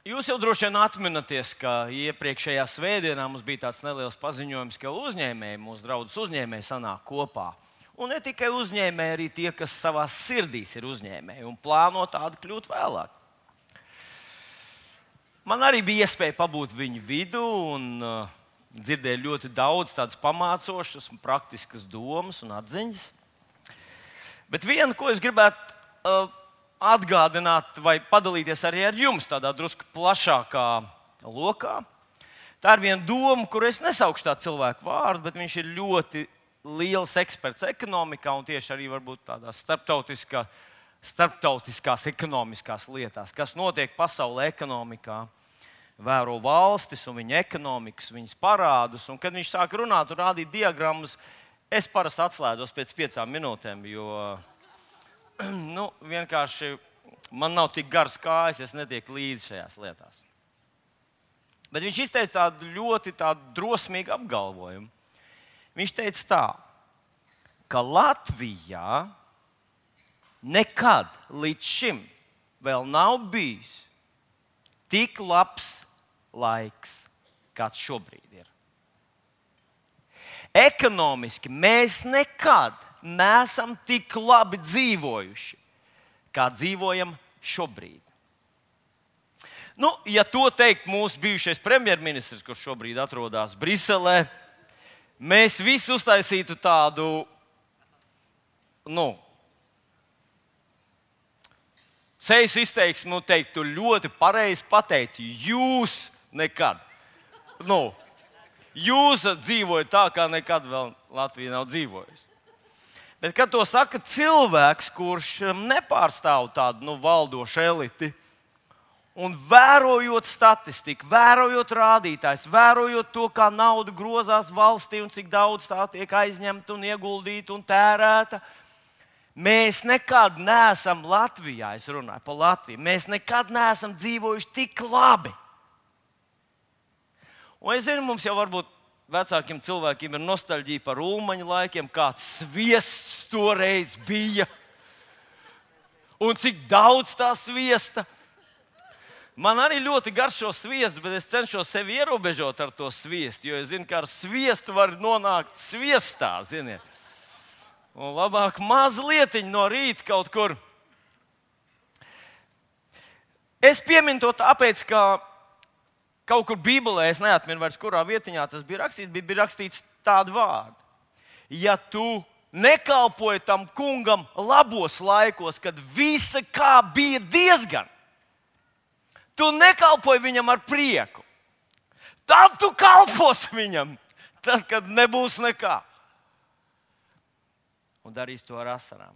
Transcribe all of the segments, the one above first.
Jūs jau droši vien atminaties, ka iepriekšējā svētdienā mums bija tāds neliels paziņojums, ka uzņēmēji, mūsu draudzes uzņēmēji sanāk kopā. Un ne tikai uzņēmēji, arī tie, kas savā sirdīs ir uzņēmēji un plāno tādu kļūt vēlāk. Man arī bija iespēja pabūt viņu vidū un dzirdēju ļoti daudz tādas pamācošas un praktiskas domas un atziņas. Bet viena, ko es gribētu atgādināt vai padalīties arī ar jums tādā drusku plašākā lokā. Tā ir viena doma, kur es nesaukšu tā cilvēku vārdu, bet viņš ir ļoti liels eksperts ekonomikā un tieši arī varbūt tādās starptautiskās ekonomiskās lietās, kas notiek pasaulē ekonomikā. Vēro valstis un viņa ekonomikas, viņas parādus. Un, kad viņš sāk runāt un rādīt diagrammas, es parasti atslēdzos pēc 5 minūtēm, jo vienkārši man nav tik garas kājas, es netieku līdzi šajās lietās. Bet viņš izteica tādu ļoti drosmīgu apgalvojumu. Viņš teica tā, ka Latvijā nekad līdz šim vēl nav bijis tik labs laiks, kāds šobrīd ir. Ekonomiski mēs nekad neesam tik labi dzīvojuši, kā dzīvojam šobrīd. Ja to teikt mūsu bijušais premjerministrs, kurš šobrīd atrodas Briselē, mēs visi uztaisītu tādu, sejas izteiksmi un teiktu, tu ļoti pareizi pateici, jūs nekad. Jūs dzīvojat tā, kā nekad vēl Latvija nav dzīvojusi. Bet, kad to saka cilvēks, kurš nepārstāv tādu valdošu eliti, un vērojot statistiku, vērojot rādītājus, vērojot to, kā nauda grozās valstī un cik daudz tā tiek aizņemta un ieguldīta un tērēta, mēs nekad neesam Latvijā, es runāju par Latviju, mēs nekad neesam dzīvojuši tik labi. Un es zinu, mums jau varbūt vecākiem cilvēkiem ir nostalģija par Ulmaņa laikiem, kāds sviests toreiz bija un cik daudz tā sviesta. Man arī ļoti garšo sviests, bet es cenšos sevi ierobežot ar to sviestu, jo es zinu, ka ar sviestu var nonākt sviestā, ziniet. Un labāk mazlietiņ no rīta kaut kur. Es pieminu to tāpēc, ka kaut kur Bībelē, es neatminu vairs, kurā vietiņā tas bija rakstīts tādu vārdu. Ja tu nekalpoji tam kungam labos laikos, kad visa kā bija diezgan, tu nekalpoji viņam ar prieku, tad tu kalposi viņam, tad, kad nebūs nekā. Un darīs to ar asarām.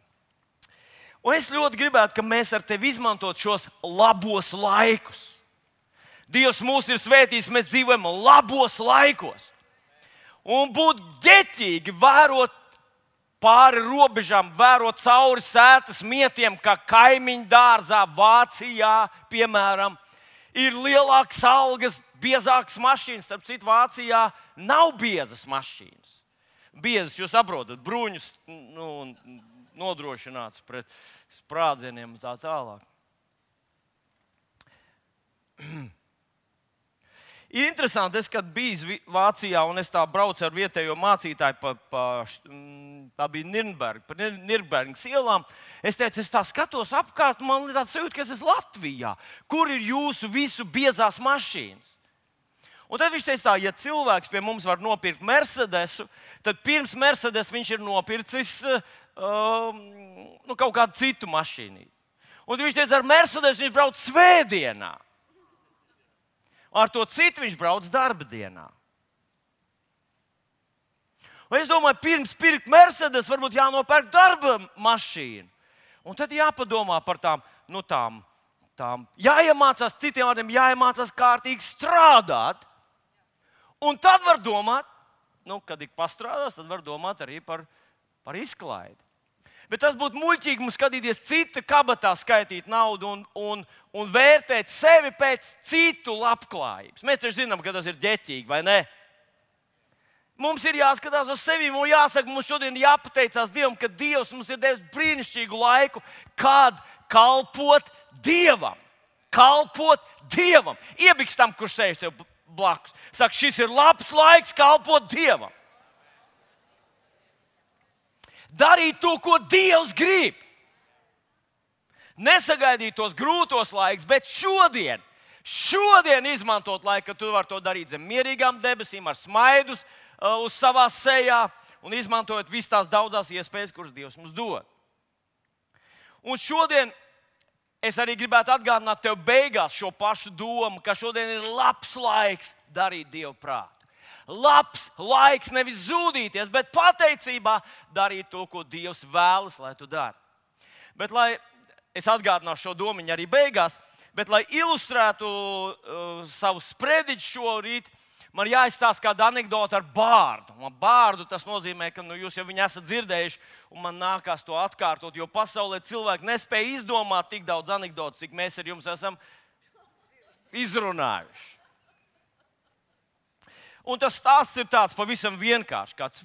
Un es ļoti gribētu, ka mēs ar tevi izmantot šos labos laikus. Dievs mūs ir svētījis, mēs dzīvojam labos laikos. Un būt ģeķīgi vērot pāri robežām, vērot cauri sētas mietiem, kā kaimiņu dārzā Vācijā, piemēram, ir lielākas algas, biezākas mašīnas. Starp citu, Vācijā nav biezas mašīnas. Biezas, jūs saprotat, bruņus nodrošināts pret sprādzieniem un tā tālāk. Ir interesanti, kad biju Vācijā un es tā braucu ar vietējo mācītāju tā bija Nürnbergas ielām. Es teicu, es tā skatos apkārt, man ir tāds sajūta, ka es esmu Latvijā. Kur ir jūsu visu biezās mašīnas? Un tad viņš teica tā, ja cilvēks pie mums var nopirkt Mercedesu, tad pirms Mercedes viņš ir nopircis kaut kādu citu mašīnu. Un viņš teica, ar Mercedesu viņš brauc svētdienā. Ar to citu viņš brauc darba dienā. Un es domāju, pirms pirkt Mercedes, varbūt jānopērk darba mašīnu. Un tad jāpadomā par tām, jāiemācās, citiem vārdiem, jāiemācās kārtīgi strādāt. Un tad var domāt, kad ik pastrādās, tad var domāt arī par izklaidi. Bet tas būtu muļķīgi mums skatīties cita kabatā, skaitīt naudu un vērtēt sevi pēc citu labklājības. Mēs taču zinām, ka tas ir ģeķīgi, vai ne? Mums ir jāskatās uz sevi un jāsaka, mums šodien jāpateicās Dievam, ka Dievs mums ir devis brīnišķīgu laiku, kad kalpot Dievam. kalpot Dievam. Iebiks tam, kurš sēž tev blakus. Saka, šis ir labs laiks kalpot Dievam. Darīt to, ko Dievs grib. Nesagaidīt tos grūtos laikus, bet šodien izmantot laiku, kad tu vari to darīt zem mierīgām debesīm, ar smaidus uz savā sejā un izmantojot visas tās daudzās iespējas, kuras Dievs mums dod. Un šodien es arī gribētu atgādināt tev beigās šo pašu domu, ka šodien ir labs laiks darīt Dievu prātu. Labs laiks nevis zudīties, bet pateicībā darīt to, ko Dievs vēlas, lai tu dari. Bet, lai es atgādināšu šo domiņu arī beigās, bet, lai ilustrētu savu sprediķu šorīt, man jāizstāsta kāda anekdote ar bārdu. Bārdu tas nozīmē, ka jūs jau viņu esat dzirdējuši, un man nākās to atkārtot, jo pasaulē cilvēki nespēja izdomāt tik daudz anekdotu, cik mēs ar jums esam izrunājuši. Un tas stāsts ir tāds pavisam vienkāršs. Kāds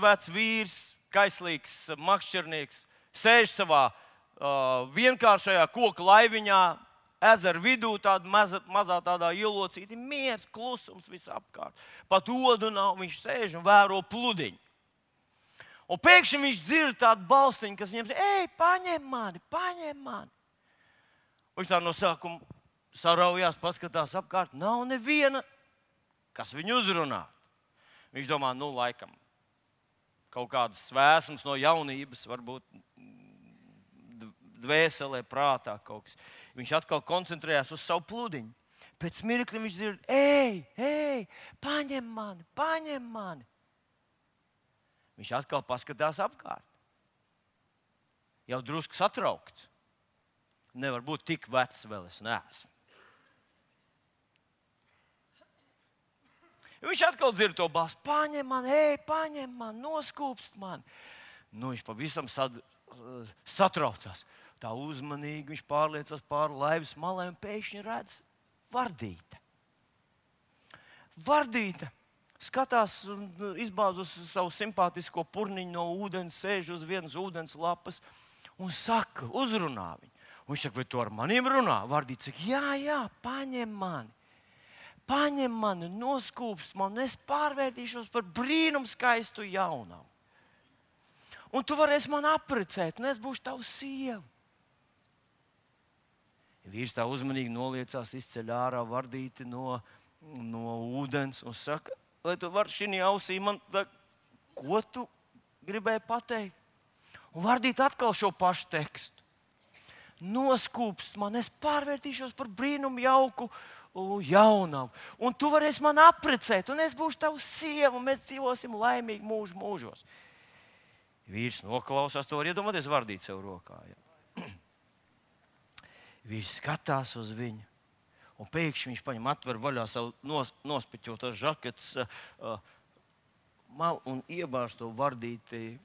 vecs vīrs, kaislīgs makšķernieks, sēž savā vienkāršajā koka laiviņā, ezera vidū, tāda mazā tādā ielocīti, miers, klusums visapkārt. Pat odu nav, viņš sēž un vēro pludiņu. Un pēkšņi viņš dzird tādu balstiņu, kas viņam saka, ej, paņem mani. Viņš tā no sākuma saraujās, paskatās apkārt, nav neviena, kas viņu uzrunā. Viņš domā, laikam, kaut kādas svēsmas no jaunības, varbūt dvēselē, prātā kaut kas. Viņš atkal koncentrējās uz savu pludiņu. Pēc mirkļa viņš dzird, ej, paņem mani. Viņš atkal paskatās apkārt. Jau drusku satraukts. Nevar būt tik vecs vēl es neesmu. Viņš atkal dzird to balsi, paņem mani, noskūpst mani. Viņš pavisam satraucās. Tā uzmanīgi viņš pārliecās pāri laivas malai un pēkšņi redz Vardīte. Vardīte skatās un izbāz uz savu simpātisko purniņu no ūdens, sēž uz vienas ūdens lapas un saka, uzrunā viņu. Un viņš saka, vai tu ar maniem runā? Vardīte saka, jā, paņem mani, noskūpst mani, un es pārvērtīšos par brīnumskaistu jaunavu. Un tu varēsi mani apprecēt, un es būšu tavs sieva. Vīrs tā uzmanīgi noliecās, izceļ ārā Vardīti no ūdens un saka, vai tu vari šī ausī man, ko tu gribēji pateikt? Un Vardīti atkal šo pašu tekstu. Noskūpst mani, es pārvērtīšos par brīnumu jauku jaunavu. Un tu varēsi mani apprecēt, un es būšu tavs sieva, un mēs dzīvosim laimīgi mūžos. Vīrs noklausās, to var iedomāties Vardīt sev rokā. Ja? Vīrs skatās uz viņu, un pēkšņi viņš paņem atver vaļā savu nospiķoto žaketes malu un iebāž to Vardīti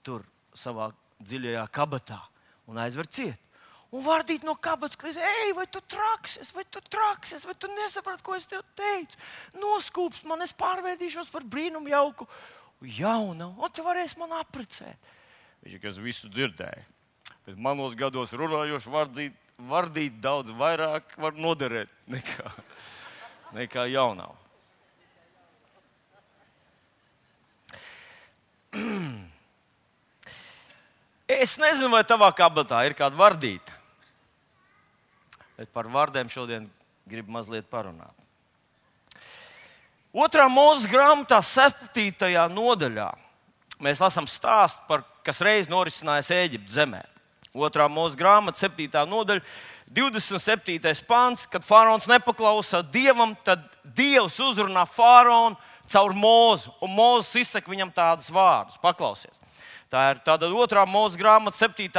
tur savā dziļajā kabatā un aizver ciet. Un Vardīt no kabatas kliedz, ej, vai tu traksies, vai tu nesaprati, ko es tev teicu? Noskūpst man, es pārvērtīšos par brīnumu jauku jaunavu, un tu varēsi man apprecēt. Viņš, kas visu dzirdēja, bet manos gados runājoši Vardīt daudz vairāk var noderēt nekā jaunavu. Es nezinu, vai tavā kabatā ir kāda Vardīta. Bet par vārdiem šodien gribu mazliet parunāt. 2. Mūzes grāmatā 7. nodaļā mēs lasām stāstu, kas reiz norisinājās Ēģiptes zemē. 2. Mūzes grāmata, 7. nodaļa, 27. pants, kad faraons nepaklausa Dievam, tad Dievs uzrunā faraonu caur Mūzu, un Mūzes izsaka viņam tādus vārdus. Paklausies. Tā ir tāda 2. Mūzes grāmata, 7.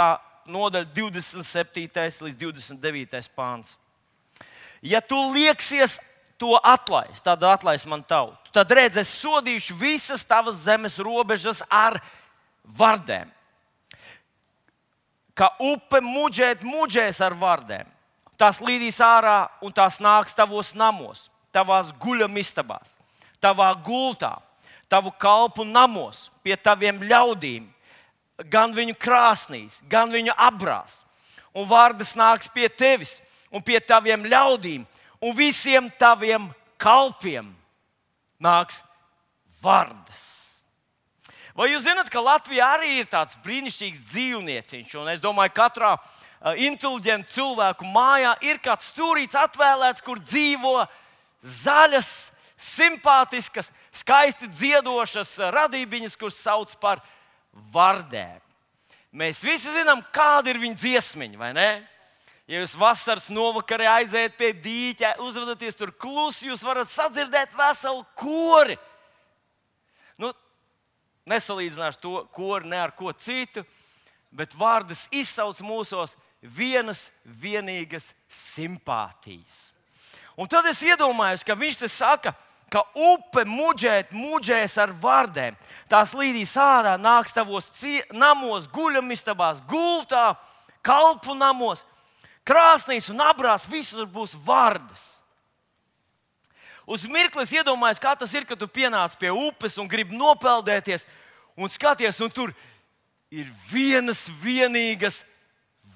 nodaļa, 27. līdz 29. pāns. Ja tu lieksies to atlaist, tad atlaist man tautu. Tad redz, es sodīšu visas tavas zemes robežas ar vardēm. Kā upe muģēs ar vardēm. Tās līdīs ārā un tās nāks tavos namos, tavās guļamistabās, tavā gultā, tavu kalpu namos, pie taviem ļaudīm, gan viņu krāsnīs, gan viņu abrās. Un vārdas nāks pie tevis, un pie taviem ļaudīm un visiem taviem kalpiem nāks vardas. Vai jūs zināt, ka Latvijā arī ir tāds brīnišķīgs dzīvnieciņš? Un es domāju, katrā inteliģenta cilvēku mājā ir kāds stūrīts atvēlēts, kur dzīvo zaļas, simpātiskas, skaisti dziedošas radībiņas, kuras sauc par vardēm. Mēs visi zinām, kāda ir viņa dziesmiņa, vai ne? Ja jūs vasaras novakarē aiziet pie dīķa, uzvedaties tur klusi, jūs varat sadzirdēt veselu kori. Nesalīdzināšu to kori ne ar ko citu, bet vārdas izsauc mūsos vienas vienīgas simpātijas. Un tad es iedomājos, ka viņš te saka, ka upe muģēs ar vardēm. Tās līdīs ārā, nāks tavos namos, guļamistabās, gultā, kalpu namos, krāsnīs un abrās, visur būs vardas. Uz mirkli es iedomājos, kā tas ir, kad tu pienāc pie upes un gribi nopeldēties un skaties, un tur ir vienas vienīgas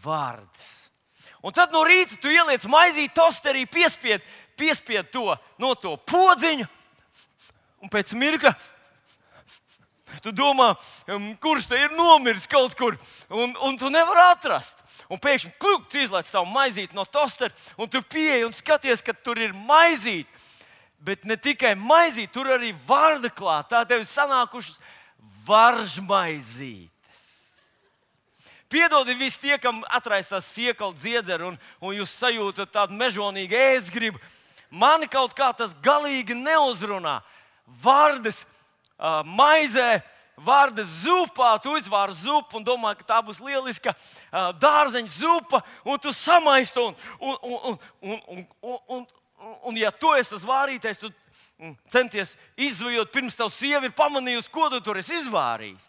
vardas. Un tad no rīta tu ieliec maizīt tosterī, piespied to podziņu, un pēc mirkļa tu domā, kurš te ir nomiris kaut kur, un tu nevari atrast. Un pēkšņi kļūks izlaiž tavu maizīti no tostera, un tu pieeji un skaties, ka tur ir maizīti. Bet ne tikai maizīt, tur arī varda klāt. Tā tev ir sanākušas varžmaizītes. Piedodiet visi tie, kam atraisās siekala dziedzera un jūs sajūtat tādu mežonīgu ēstgribu. Mani kaut kā tas galīgi neuzrunā. Vardas maizē, vardas zupā, tu izvāri zupu un domā, ka tā būs lieliska dārzeņa zupa, un tu samaisti un ja tu esi tas vārītais, tu centies izvajot, pirms tavu sievi ir pamanījusi, ko tu tur esi izvārījis.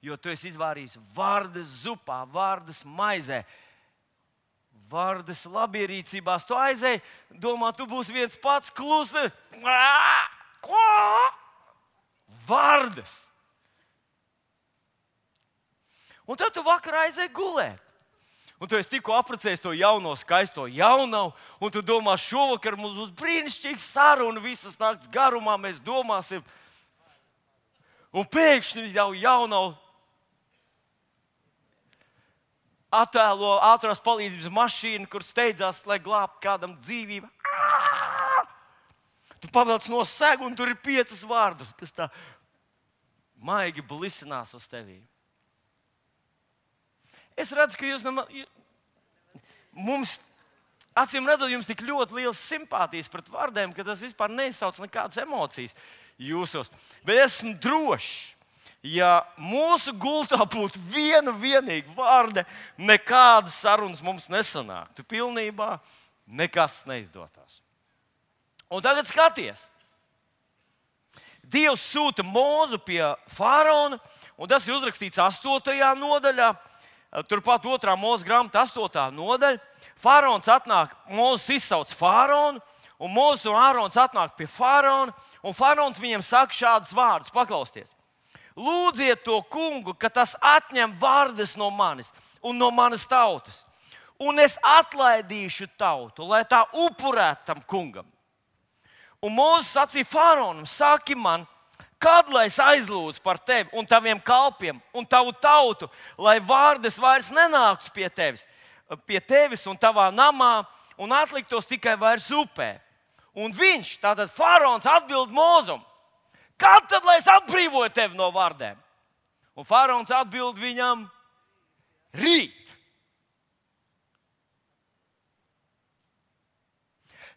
Jo tu esi izvārījis vardas zupā, vardas maizē, vardas labierīcībās. Tu aizēji, domā, tu būsi viens pats klusi. Vardas. Un tad tu vakarā aizēji gulēt. Un tu esi tikko apprecējis to jauno, skaisto jaunavu, un tu domā, šovakar mums būs brīnišķīga saruna, visas nakts garumā mēs domāsim. Un pēkšņi jau jaunavu attēlo ātrās palīdzības mašīnu, kur steidzās, lai glābtu kādam dzīvību. Tu pavelc no segu, un tur ir 5 vārdas, kas tā maigi blisinās uz tevi. Es redzu, ka jūs mums, acīm redzot, jums tik ļoti liels simpātijas pret vārdiem, ka tas vispār neizsauc nekādas emocijas jūsos. Bet esmu drošs, ja mūsu gultā būtu viena vienīga vārda, nekādas sarunas mums nesanāktu. Pilnībā nekas neizdotos. Un tagad skaties. Dievs sūta Mūzu pie faraona, un tas ir uzrakstīts 8. nodaļā. Turpat 2. Mūzes grāmata 8. nodaļa. Faraons atnāk, Mūzes izsauc faraonu, un Mūzes un Ārons atnāk pie faraona, un faraons viņiem saka šādus vārdus, paklausieties. Lūdziet to kungu, ka tas atņem vārdas no manis un no manas tautas, un es atlaidīšu tautu, lai tā upurētu tam kungam. Un Mūzes sacīja faraonam, saki man, kad lai es aizlūdzu par tevi un taviem kalpiem un tavu tautu, lai vārdas vairs nenāktu pie tevis un tavā namā un atliktos tikai vairs upē. Un viņš, tātad faraons, atbild Mūzum, kad tad lai es atbrīvoju tevi no vārdiem? Un faraons atbild viņam, rīt.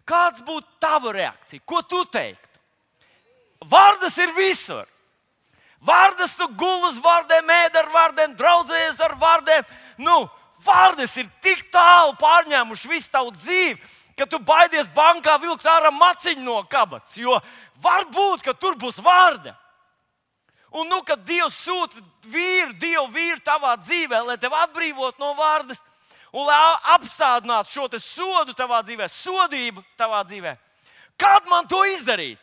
Kāds būtu tava reakcija? Ko tu teiktu? Vārdas ir visur. Vārdas tu guli uz vārdiem, ēd ar vārdiem, draudzējies ar vārdiem. Vārdas ir tik tālu pārņēmuši visu tavu dzīvi, ka tu baidies bankā vilkt ārā maciņu no kabatas, jo var būt, ka tur būs vārda. Un kad Dievs sūta Dievu vīru tavā dzīvē, lai tevi atbrīvotu no vārdas un lai apstādinātu šo te sodu tavā dzīvē, sodību tavā dzīvē, kad man to izdarīt?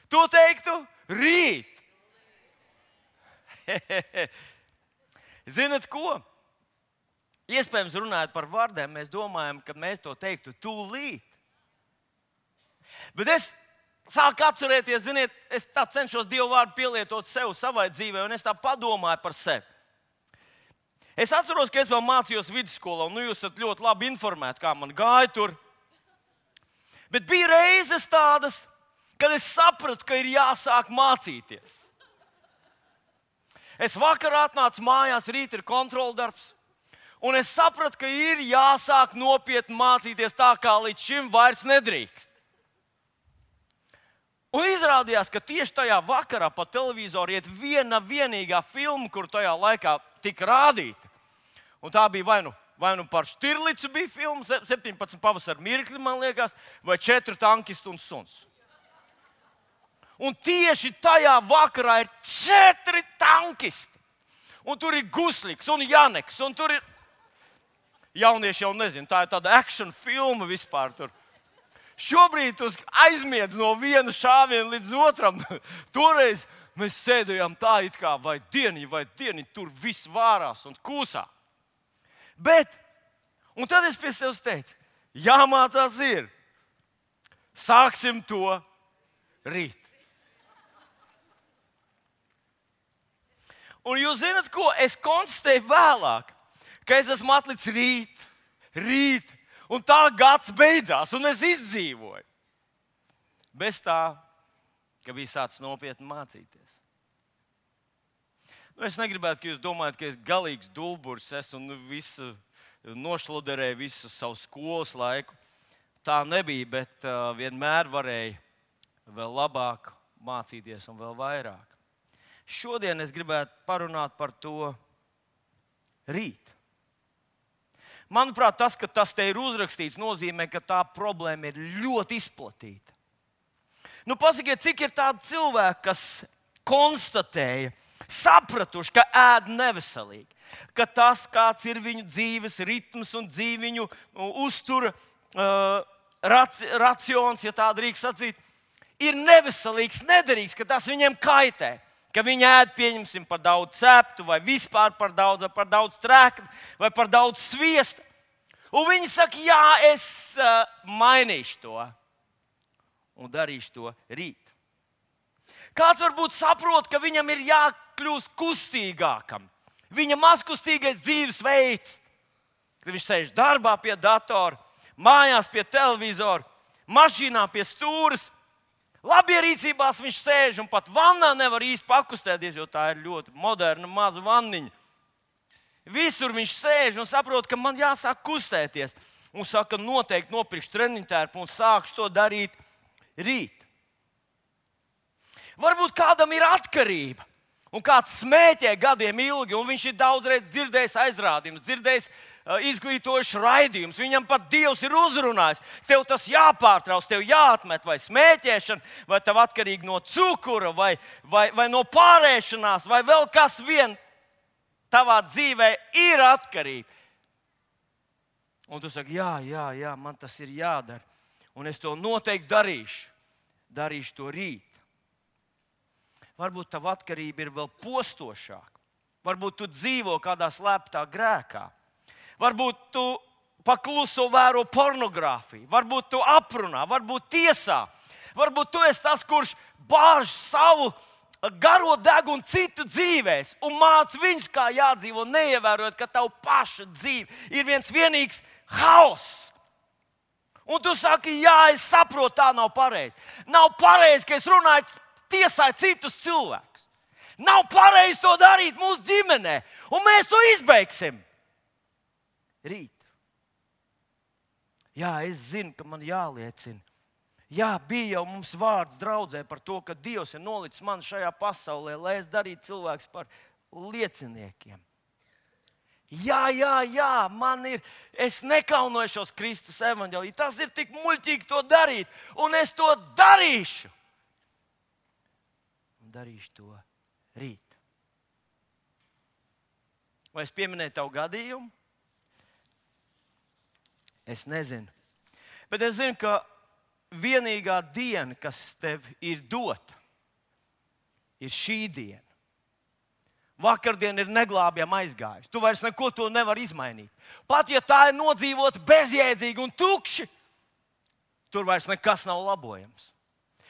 To teiktu rīt. Zinat ko? iespējams, runājot par vārdiem, mēs domājam, ka mēs to teiktu tūlīt. Bet es sāku atcerēties, ziniet, es tā cenšos Dievu vārdu pielietot sev, savai dzīvē, un es tā padomāju par sevi. Es atceros, ka es vēl mācījos vidusskolā, un jūs esat ļoti labi informēti, kā man gāja tur. Bet bija reizes tādas, kad es sapratu, ka ir jāsāk mācīties. Es vakarā atnācu mājās, rīt ir kontroldarbs, un es sapratu, ka ir jāsāk nopietni mācīties tā, kā līdz šim vairs nedrīkst. Un izrādījās, ka tieši tajā vakarā pa televizoru iet viena vienīgā filma, kur tajā laikā tika rādīta. Un tā bija vai nu par Štirlicu bija filma, 17 pavasara mirkļi, man liekas, vai 4 tankisti un suns. Un tieši tajā vakarā ir 4 tankisti. Un tur ir Gusliks un Janeks, un tur ir jaunieši jau nezinu, tā ir tāda action filma vispār tur. Šobrīd tu aizmiedz no viena šāviena līdz otram. Toreiz mēs sēdējām tā, it kā vai dieni, tur viss vārās un kūsā. Bet, un tad es pie sevis teicu, jāmācās ir. Sāksim to rīt. Un jūs zināt, ko es konstatēju vēlāk? Ka es esmu atlicis rīt. Un tā gads beidzās, un es izdzīvoju. Bez tā, ka bija sācis nopietni mācīties. Es negribētu, ka jūs domājat, ka es galīgs dulburis esmu un visu nošloderēju visu savu skolas laiku. Tā nebija, bet vienmēr varēja vēl labāk mācīties un vēl vairāk. Šodien es gribētu parunāt par to rīt. Manuprāt, tas, ka tas te ir uzrakstīts, nozīmē, ka tā problēma ir ļoti izplatīta. Nu, pasakiet, cik ir tādi cilvēki, kas konstatēja, sapratuši, ka ēd neveselīgi, ka tas, kāds ir viņu dzīves ritms un viņu uztura racions, ja tā drīkst sacīt, ir neveselīgs, nederīgs, ka tas viņiem kaitē. Ka viņi ēd, pieņemsim, par daudz ceptu, vai vispār par daudz trēkļu, vai par daudz sviesta. Un viņi saka, jā, es mainīšu to un darīšu to rīt. Kāds varbūt saprot, ka viņam ir jākļūst kustīgākam. Viņa mazkustīgais dzīvesveids, kad viņš sēž darbā pie datora, mājās pie televizora, mašīnā pie stūres. Labierīcībās viņš sēž un pat vannā nevar īsti pakustēties, jo tā ir ļoti moderna maza vanniņa. Visur viņš sēž un saprot, ka man jāsāk kustēties. Un saka, noteikti nopirkšu treniņtērpu un sākšu to darīt rīt. Varbūt kādam ir atkarība un kāds smēķē gadiem ilgi, un viņš ir daudzreiz dzirdējis aizrādījumus, dzirdējis izglītojuši raidījumus. Viņam pat Dievs ir uzrunājis. Tev tas jāpārtrauc, tev jāatmet vai smēķēšana, vai tev atkarīgi no cukura, vai no pārēšanās, vai vēl kas vien tavā dzīvē ir atkarība. Un tu saki, jā, man tas ir jādara. Un es to noteikti darīšu. Darīšu to rīt. Varbūt tava atkarība ir vēl postošāka. Varbūt tu dzīvo kādā slēptā grēkā. Varbūt tu pakluso vēro pornogrāfiju, varbūt tu aprunā, varbūt tiesā. Varbūt tu esi tas, kurš bāž savu garo degunu citu dzīvēs un māca viņus, kā jādzīvo, neievērojot, ka tavu paša dzīve ir viens vienīgs hauss. Un tu saki, jā, es saprotu, tā nav pareizi. Nav pareizi, ka es runāju, tiesāju citus cilvēkus. Nav pareizi to darīt mūsu ģimenē, un mēs to izbeigsim. Rīt. Jā, es zinu, ka man jāliecina. Jā, bija jau mums vārds draudzē par to, ka Dievs ir nolicis mani šajā pasaulē, lai es darītu cilvēkus par lieciniekiem. Jā, man ir, es nekaunojos Kristus evaņģēlī. Tas ir tik muļķīgi to darīt, un es to darīšu. Un darīšu to rīt. Vai es pieminēju tavu gadījumu? Es nezinu. Bet es zinu, ka vienīgā diena, kas tev ir dota, ir šī diena. vakardien ir neglābjami aizgājusi. Tu vairs neko to nevar izmainīt. Pat ja tā ir nodzīvota bezjēdzīgi un tukši, tur vairs nekas nav labojams.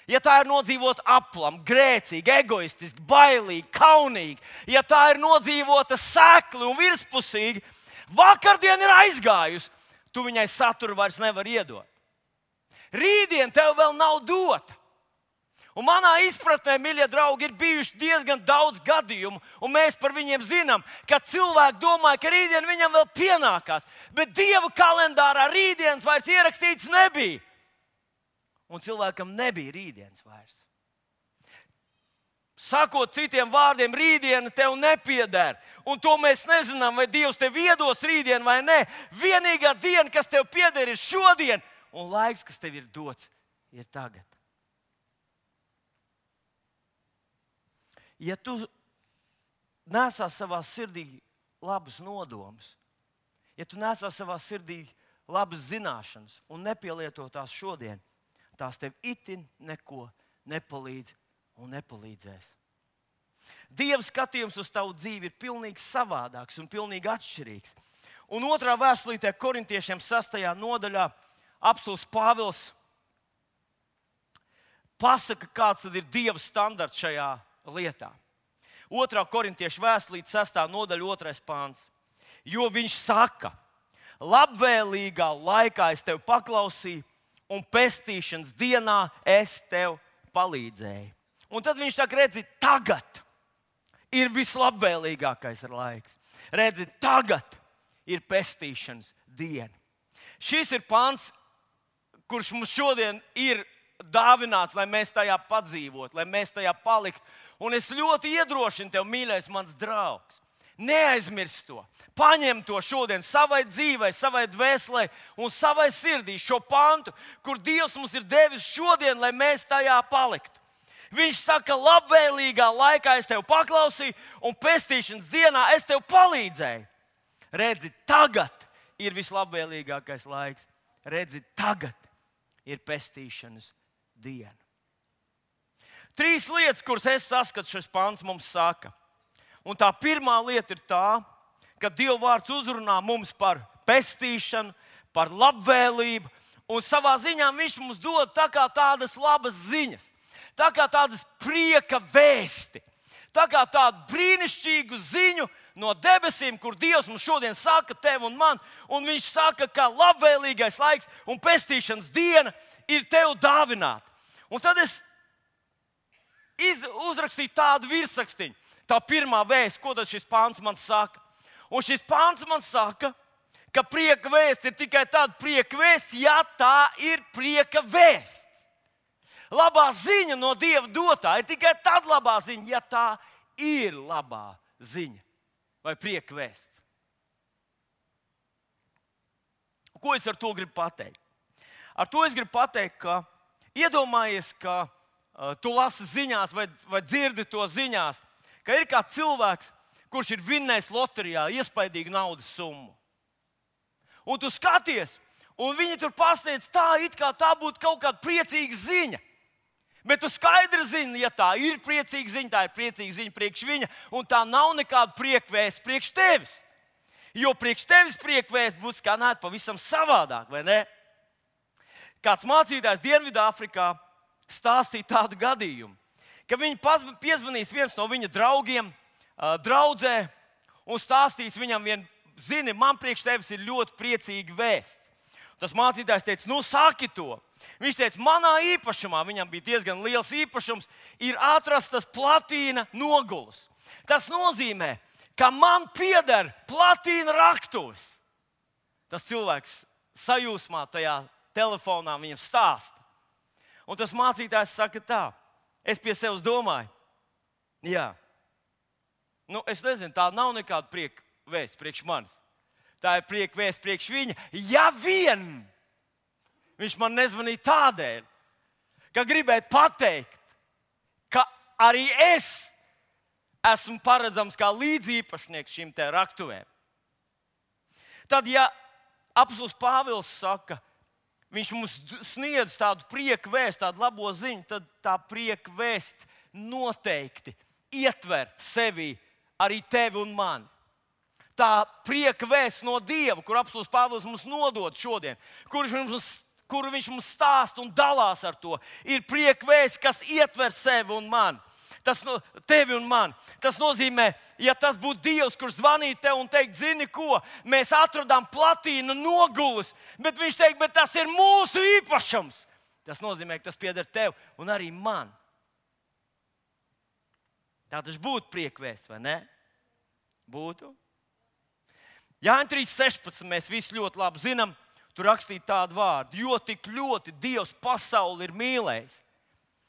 Ja tā ir nodzīvota aplam, grēcīgi, egoistiski, bailīgi, kaunīgi, ja tā ir nodzīvota sekli un virspusīgi, vakardien ir aizgājusi, tu viņai saturu vairs nevar iedot. Rītdien tev vēl nav dota. Un manā izpratnē, mīļie draugi, ir bijuši diezgan daudz gadījumu, un mēs par viņiem zinām, ka cilvēki domāja, ka rītdien viņam vēl pienākās, bet Dieva kalendārā rītdienas vairs ierakstīts nebija. Un cilvēkam nebija rītdienas vairs. Sakot citiem vārdiem, rītdiena tev nepieder. Un to mēs nezinām, vai Dievs tev iedos rītdienu vai nē. Vienīgā diena, kas tev pieder, ir šodien, un laiks, kas tev ir dots, ir tagad. Ja tu nesā savā sirdī labus nodomus, ja tu nesā savā sirdī labas zināšanas un nepielieto tās šodien, tās tev itin neko nepalīdz un nepalīdzēs. Dieva skatījums uz tavu dzīvi ir pilnīgi savādāks un pilnīgi atšķirīgs. Un 2. vēstulītē Korintiešiem 6. nodaļā apostols Pāvils pasaka, kāds tad ir Dieva standarts šajā lietā. 2. Korintiešu vēstulīte 6. nodaļa 2. pāns. Jo viņš saka, labvēlīgā laikā es tev paklausīju, un pestīšanas dienā es tev palīdzēju. Un tad viņš saka, redzi, tagad ir vislabvēlīgākais laiks. Redzi, tagad ir pestīšanas diena. Šis ir pants, kurš mums šodien ir dāvināts, lai mēs tajā padzīvotu, lai mēs tajā paliktu. Un es ļoti iedrošinu tev, mīļais mans draugs, neaizmirst to. Paņem to šodien savai dzīvei, savai dvēselē un savai sirdī šo pantu, kur Dievs mums ir devis šodien, lai mēs tajā paliktu. Viņš saka, labvēlīgā laikā es tev paklausīju, un pestīšanas dienā es tev palīdzēju. Redzi, tagad ir vislabvēlīgākais laiks. Redzi, tagad ir pestīšanas diena. 3 lietas, kuras es saskatu, šis pants mums saka. Un tā pirmā lieta ir tā, ka Dieva vārds uzrunā mums par pestīšanu, par labvēlību, un savā ziņā viņš mums dod tā kā tādas labas ziņas, tā kā tādas prieka vēsti, tā kā tādu brīnišķīgu ziņu no debesīm, kur Dievs mums šodien saka tev un man, un viņš saka, ka labvēlīgais laiks un pestīšanas diena ir tev dāvināta. Un tad es uzrakstīju tādu virsrakstiņu. Tā pirmā vēsts, ko tad šis pāns man saka? Un šis pāns man saka, ka prieka vēsts ir tikai tāda prieka vēsts, ja tā ir prieka vēsts. Labā ziņa no Dieva dotā ir tikai tad labā ziņa, ja tā ir labā ziņa vai prieka vēsts. Ko es ar to gribu pateikt? Ar to es gribu pateikt, ka iedomājies, ka tu lasi ziņās vai dzirdi to ziņās, ka ir kāds cilvēks, kurš ir vinnējis loterijā iespaidīgu naudas summu. Un tu skaties, un viņi tur pasteidz tā, it kā tā būtu kaut kāda priecīga ziņa. Bet tu skaidri zini, ja tā ir priecīga ziņa, tā ir priecīga ziņa priekš viņa, un tā nav nekāda priekvēsts priekš tevis. Jo priekš tevis priekvēsts būtu skanēt pavisam savādāk, vai ne? Kāds mācītājs Dienvidāfrikā stāstīja tādu gadījumu, ka viņi piezvanīs viens no viņa draugiem, draudzē, un stāstīs viņam zini, man priekš tevis ir ļoti priecīga vēsts. Tas mācītājs teica, nu saki to. Viņš teica, manā īpašumā, viņam bija diezgan liels īpašums, ir atrastas platīna nogulas. Tas nozīmē, ka man pieder platīna raktuves. Tas cilvēks sajūsmā tajā telefonā viņam stāsta. Un tas mācītājs saka tā, es pie sevis domāju, jā, nu es nezinu, tā nav nekāda prieka vēsts priekš manis. Tā ir prieka vēsts priekš viņa, ja vien viņš man nezvanīja tādēļ, ka gribēja pateikt, ka arī es esmu paredzams kā līdziepašnieks šīm te raktuvēm. Tad, ja apostols Pāvils saka, viņš mums sniedz tādu prieku vēstu, tādu labo ziņu, tad tā prieka vēsts noteikti ietver sevī arī tevi un mani. Tā prieka vēsts no Dieva, kur apostūlis Pāvils mums nodod šodien, kur viņš mums stāsta un dalās ar to, ir prieka vēsts, kas ietver sevi un mani. Tevi un mani. Tas nozīmē, ja tas būtu Dievs, kurš zvanītu tev un teikt, zini ko, mēs atradām platīnu nogulis, bet viņš teikt, bet tas ir mūsu īpašums. Tas nozīmē, ka tas pieder tev un arī man. Tā taču būtu prieka vēsts, vai ne? Būtu. Jāņa 3.16 mēs visi ļoti labi zinām, tur rakstīt tādu vārdu, jo tik ļoti Dievs pasauli ir mīlējis,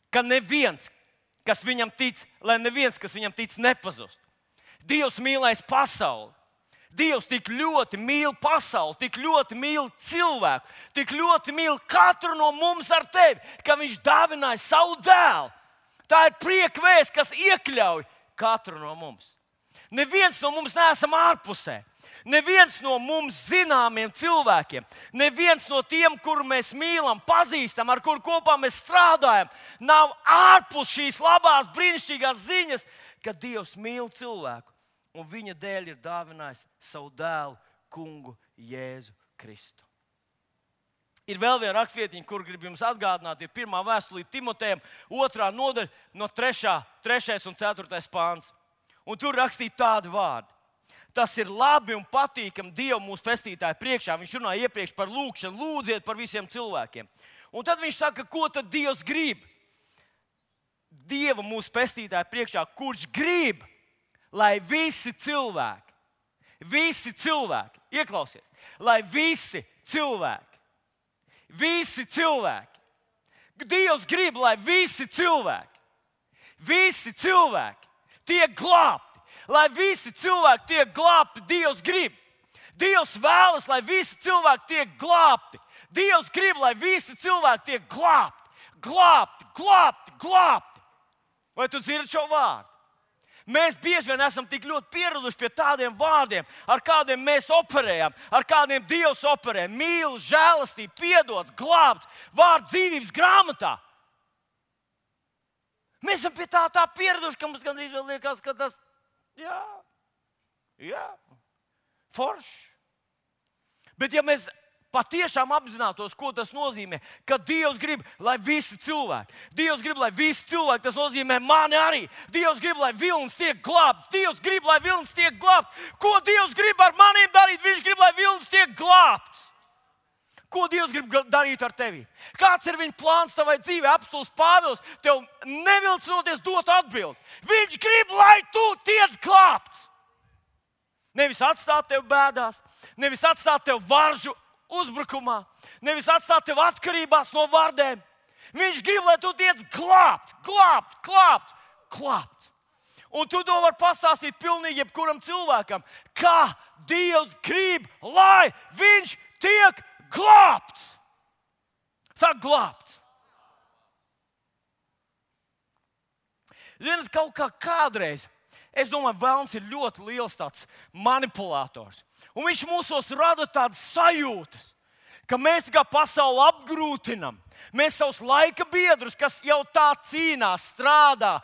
ka neviens, kas viņam tic, lai neviens, kas viņam tic, nepazust. Dievs mīlēs pasauli. Dievs tik ļoti mīl pasauli, tik ļoti mīl cilvēku, tik ļoti mīl katru no mums ar tevi, ka viņš dāvināja savu dēlu. Tā ir prieka vēsts, kas iekļauj katru no mums. Neviens no mums neesam ārpusē. Neviens no mums zināmiem cilvēkiem, neviens no tiem, kuru mēs mīlam, pazīstam, ar kuru kopā mēs strādājam, nav ārpus šīs labās, brīnišķīgās ziņas, ka Dievs mīl cilvēku un viņa dēļ ir dāvinājis savu dēlu, kungu Jēzu Kristu. Ir vēl viena rakstvietiņa, kur gribu jums atgādināt, ir 1. vēstule Timotejam, 2. nodaļa no 3. un 4. pāns. Un tur rakstīja tādi vārdi. Tas ir labi un patīkami Dievu mūsu pestītāju priekšā. Viņš runāja iepriekš par lūgšanu, lūdziet par visiem cilvēkiem. Un tad viņš saka, ko tad Dievs grib? Dieva mūsu pestītāju priekšā, kurš grib, lai visi cilvēki, ieklausies, lai visi cilvēki, Dievs grib, lai visi cilvēki tiek glābti. Lai visi cilvēki tiek glābti, Dievs grib. Dievs vēlas, lai visi cilvēki tiek glābti. Dievs grib, lai visi cilvēki tiek glābti. Vai tu dzirdi šo vārdu? Mēs bieži vien esam tik ļoti pieraduši pie tādiem vārdiem, ar kādiem mēs operējam, ar kādiem Dievs operē. Mīl, žēlastība, piedots, glābts, vārds dzīvības grāmatā. Mēs esam pie tā pieraduši, ka mums gandrīz vēl liekas, ka tas Jā, forši. Bet ja mēs patiešām apzinātos, ko tas nozīmē, ka Dievs grib, lai visi cilvēki, tas nozīmē mani arī. Dievs grib, lai vilnis tiek glābts. Ko Dievs grib ar maniem darīt? Viņš grib, lai vilnis tiek glābts. Ko Dievs grib darīt ar tevi? Kāds ir viņa plāns tavai dzīvē? Apostūlis Pāvils tev nevilcinoties dot atbildi. Viņš grib, lai tu tiec glābts. Nevis atstāt tevi bēdās, nevis atstāt tevi varžu uzbrukumā, nevis atstāt tevi atkarībās no vardēm. Viņš grib, lai tu tiec glābts. Un tu to vari pastāstīt pilnīgi jebkuram cilvēkam, kā Dievs grib, lai viņš tiek glābts. Saka, glābts. Ziniet, kaut kā kādreiz, es domāju, velns ir ļoti liels tāds manipulators. Un viņš mūsos rada tādas sajūtas, ka mēs kā pasauli apgrūtinam. Mēs savus laika biedrus, kas jau tā cīnās, strādā,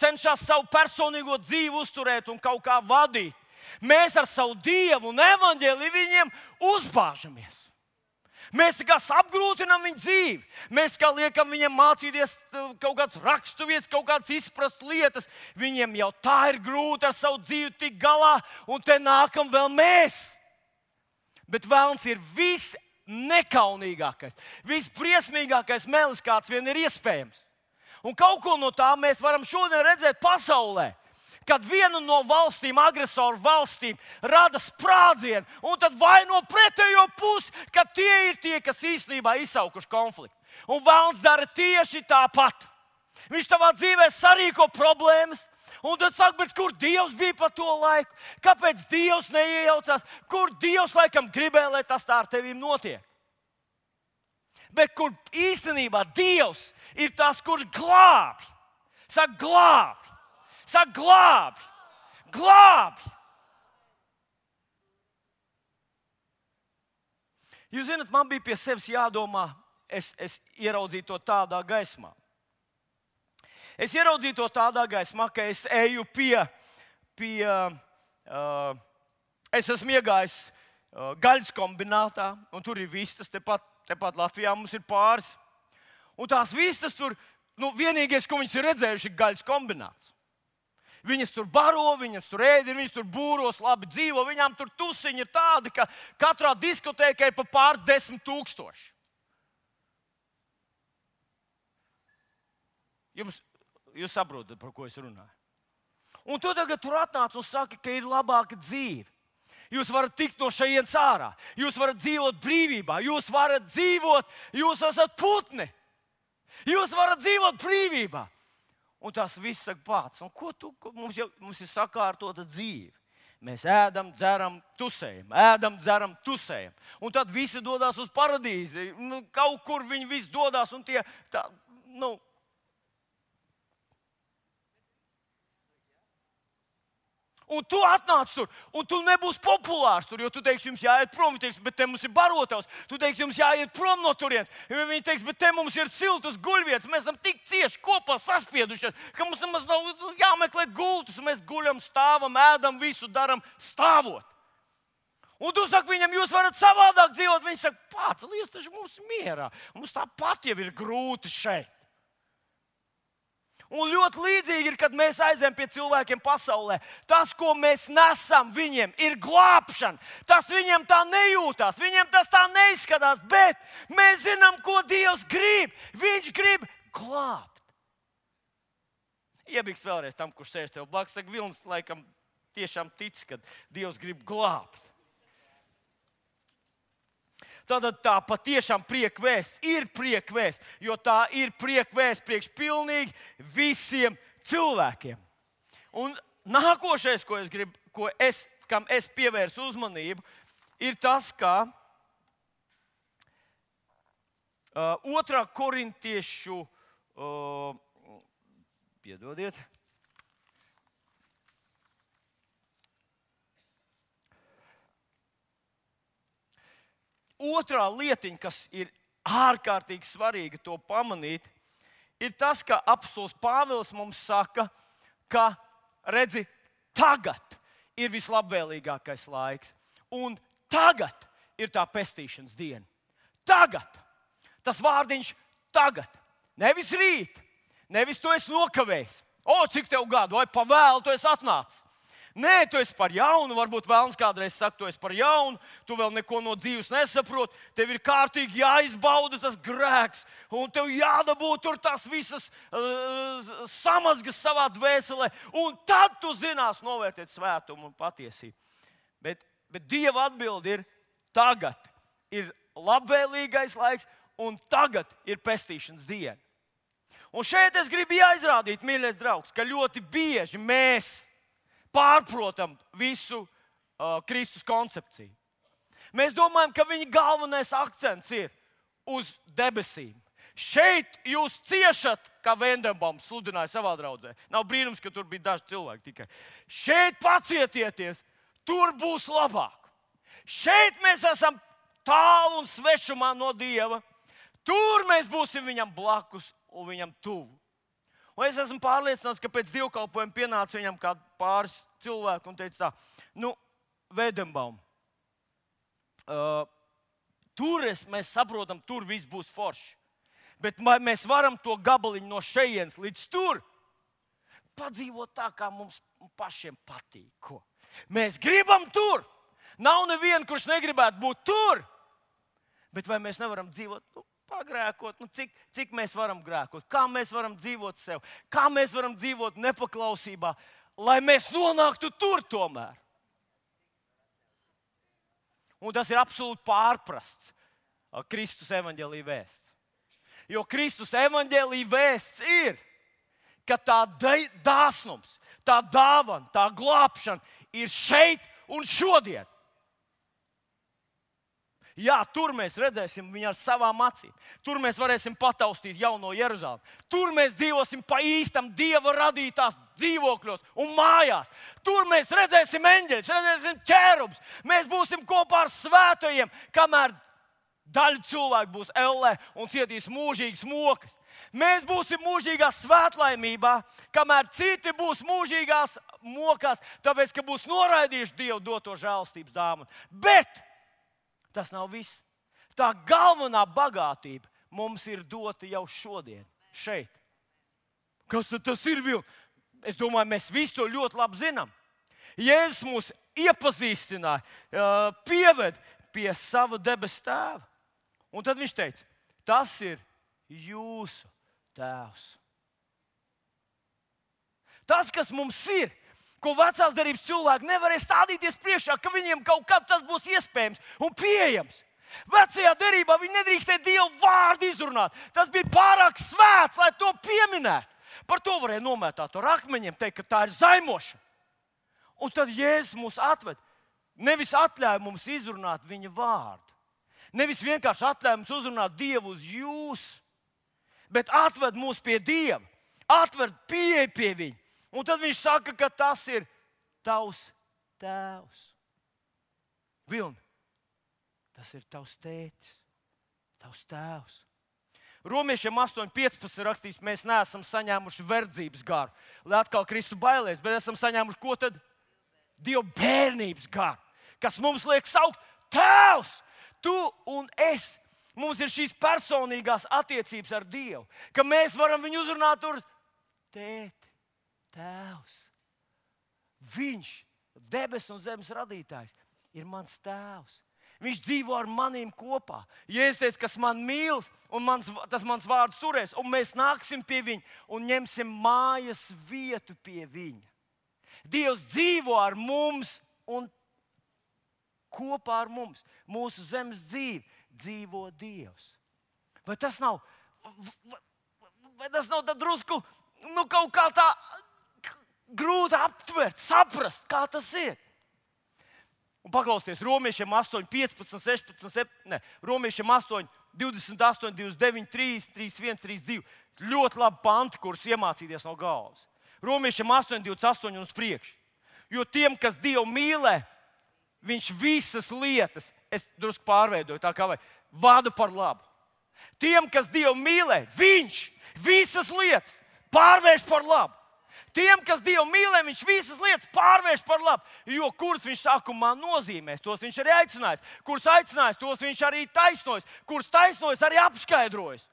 cenšas savu personīgo dzīvi uzturēt un kaut kā vadīt. Mēs ar savu Dievu un evaņģēliju viņiem uzbāžamies. Mēs tā kā apgrūtinām viņu dzīvi. Mēs kā liekam viņiem mācīties kaut kādas raksturvietas, kaut kādas izprast lietas. Viņiem jau tā ir grūti ar savu dzīvi tikt galā, un te nākam vēl mēs. Bet velns ir visnekaunīgākais, visbriesmīgākais melis, kāds vien ir iespējams. Un kaut ko no tā mēs varam šodien redzēt pasaulē. Kad viena no valstīm, agresoru valstīm, rada sprādzienu, un tad vaino pretējo pusi, ka tie ir tie, kas īstenībā izsaukuši konfliktu. Un velns dara tieši tāpat. Viņš tavā dzīvē sarīko problēmas, un tad saka, bet kur Dievs bija pa to laiku? Kāpēc Dievs neiejaucās? Kur Dievs laikam gribēja, lai tas tā ar tevīm notiek? Bet kur īstenībā Dievs ir tas, kurš glābi. Saka, glābi. Saka, glābi. Jūs zināt, man bija pie sevis jādomā, es ieraudzīju to tādā gaismā. Es ieraudzīju to tādā gaismā, ka es eju pie es esmu iegājis gaļas kombinātā, un tur ir vistas, tepat Latvijā mums ir pāris. Un tās vistas tur, vienīgais, ko viņas ir redzējuši, ir gaļas kombināts. Viņas tur baro, viņas tur ēd, viņas tur būros, labi dzīvo, viņām tur tusiņi ir tādi, ka katrā diskotēkā ir pa pāris 10 000. Jūs saprotat, par ko es runāju. Un tu tagad tur atnāc un saki, ka ir labāka dzīve. Jūs varat tikt no šejienes ārā, jūs varat dzīvot brīvībā, jūs varat dzīvot, jūs esat putni. Jūs varat dzīvot brīvībā. Un tas viss saka pats. Un mums ir sakārtota dzīve. Mēs ēdam, dzeram, tusējam, ēdam, dzeram, tusējam. Un tad visi dodas uz paradīzi. Kaut kur viņi visi dodas un tie Un tu atnāc tur, un tu nebūsi populārs tur, jo tu teiksi, jums jāiet prom, teiksi, bet te mums ir barotavs. Tu teiksi, jums jāiet prom no turienes. Viņi teiks, bet te mums ir siltas guļvietas. Mēs esam tik cieši kopā saspiedušies, ka mums nemaz nav jāmeklē gultas. Mēs guļam, stāvam, ēdam, visu daram stāvot. Un tu saki viņam, jūs varat savādāk dzīvot. Viņi saka, pacelies taču mums mierā. Mums tāpat jau ir grūti šeit. Un ļoti līdzīgi ir, kad mēs aizējam pie cilvēkiem pasaulē. Tas, ko mēs nesam viņiem, ir glābšana. Tas viņiem tā nejūtās, viņiem tas tā neizskatās, bet mēs zinām, ko Dievs grib. Viņš grib glābt. Iebiks vēlreiz tam, kurš sēž tev blakus. Saka, Vilnis laikam tiešām tic, ka Dievs grib glābt. Tātad tā patiešām priekvēsts ir priekvēsts, jo tā ir priekvēsts priekš pilnīgi visiem cilvēkiem. Un nākošais, kam es pievērsu uzmanību, ir tas, ka 2. Korintiešu, piedodiet, otrā lietiņa, kas ir ārkārtīgi svarīga to pamanīt, ir tas, ka apostols Pāvils mums saka, ka, redzi, tagad ir vislabvēlīgākais laiks. Un tagad ir tā pestīšanas diena. Tagad. Tas vārdiņš tagad. Nevis rīt. Nevis tu esi nokavējis. Cik tev gadu, vai pavēlu tu esi atnācis. Nē, tu esi par jaunu, varbūt vēlams kādreiz saka, tu esi par jaunu, tu vēl neko no dzīves nesaproti, tev ir kārtīgi jāizbauda tas grēks, un tev jādabū tur tās visas samazgas savā dvēselē, un tad tu zinās novērtēt svētumu un patiesību. Bet Dieva atbilde ir tagad ir labvēlīgais laiks, un tagad ir pestīšanas diena. Un šeit es gribu aizrādīt, mīļais draugs, ka ļoti bieži mēs pārprotam visu Kristus koncepciju. Mēs domājam, ka viņa galvenais akcents ir uz debesīm. Šeit jūs ciešat, kā Vendenbaums sludināja savā draudzē. Nav brīnums, ka tur bija daži cilvēki tikai. Šeit pacietieties, tur būs labāk. Šeit mēs esam tālu un svešumā no Dieva. Tur mēs būsim viņam blakus un viņam tuvu. Un es esmu pārliecināts, ka pēc dievkalpojuma pienāca viņam kāds pāris cilvēku un teica tā, Vendenbaum, mēs saprotam, tur viss būs forši. Bet mēs varam to gabaliņu no šejienes līdz tur padzīvot tā, kā mums pašiem patīk. Ko? Mēs gribam tur. Nav neviena, kurš negribētu būt tur. Bet vai mēs nevaram dzīvot pagrēkot, cik mēs varam grēkot, kā mēs varam dzīvot sev, kā mēs varam dzīvot nepaklausībā, lai mēs nonāktu tur tomēr. Un tas ir absolūti pārprasts Kristus evaņģēlija vēsts. Jo Kristus evaņģēlija vēsts ir, ka tā dāsnums, tā dāvana, tā glābšana ir šeit un šodien. Jā, tur mēs redzēsim viņu ar savām acīm. Tur mēs varēsim pataustīt jauno Jeruzalemi. Tur mēs dzīvosim pa īstam Dieva radītās dzīvokļos un mājās. Tur mēs redzēsim eņģeļus, redzēsim ķērubus. Mēs būsim kopā ar svētajiem, kamēr Daļa cilvēku būs ellē un cietīs mūžīgas mokas. Mēs būsim mūžīgā svētlaimībā, kamēr citi būs mūžīgās mokās, tāpēc, ka būs noraidījuši Dievu doto žēlastības dāvanu. Bet tas nav viss. Tā galvenā bagātība mums ir dota jau šodien, šeit. Kas tad tas ir, Vil? Es domāju, mēs visi to ļoti labi zinām. Jēzus mūs iepazīstināja, pieved pie sava debesu tēva. Un tad viņš teica, tas ir jūsu tēvs. Tas, kas mums ir, ko vecās derības cilvēki nevarēja stādīties priekšā, ka viņiem kaut kad tas būs iespējams un pieejams. Vecajā derībā viņi nedrīkstēja Dievu vārdu izrunāt. Tas bija pārāk svēts, lai to pieminētu. Par to varēja nomētāt ar akmeņiem, teikt, ka tā ir zaimošana. Un tad Jēzus mūs atved. Nevis atļauj mums izrunāt viņa vārdu. Nevis vienkārši atļauj mums uzrunāt Dievu uz jūs, bet atved mūs pie Dieva. Atved pieeja pie viņa. Un tad viņš saka, ka tas ir tavs tēvs. Vilni, tas ir tavs tētis, tavs tēvs. Romiešiem 8.15 rakstīts, mēs neesam saņēmuši verdzības garu, lai atkal kristu bailēs, bet esam saņēmuši ko tad? Dieva bērnības garu, kas mums liek saukt tēvs, tu un es. Mums ir šīs personīgās attiecības ar Dievu, ka mēs varam viņu uzrunāt tur tēti, tēvs. Viņš, debes un zemes radītājs, ir mans tēvs. Viņš dzīvo ar maniem kopā. Jēzus teica, kas man mīl, un tas mans vārds turēs, un mēs nāksim pie viņa un ņemsim mājas vietu pie viņa. Dievs dzīvo ar mums un kopā ar mums. Mūsu zemes dzīve dzīvo Dievs. Vai tas nav tā drusku kaut kā tā grūti aptvert, saprast, kā tas ir? Un paklausieties, Romiešiem 8, 15, 16, 7, Romiešiem 8, 28, 29, 3, 31, 32. Ļoti labi panti, kurus iemācīties no galvas. Romiešiem 8, 28 un uz priekšu. Jo tiem, kas Dievu mīlē, viņš visas lietas, es drusku pārveidoju, tā kā vada par labu. Tiem, kas Dievu mīlē, viņš visas lietas pārvērš par labu. Tiem, kas Dievu mīlē, viņš visas lietas pārvērš par labu. Jo kurus viņš sākumā nozīmēs, tos viņš arī aicinājis. Kurus aicinājis, tos viņš arī taisnojas. Kurus taisnojas, arī apskaidrojas.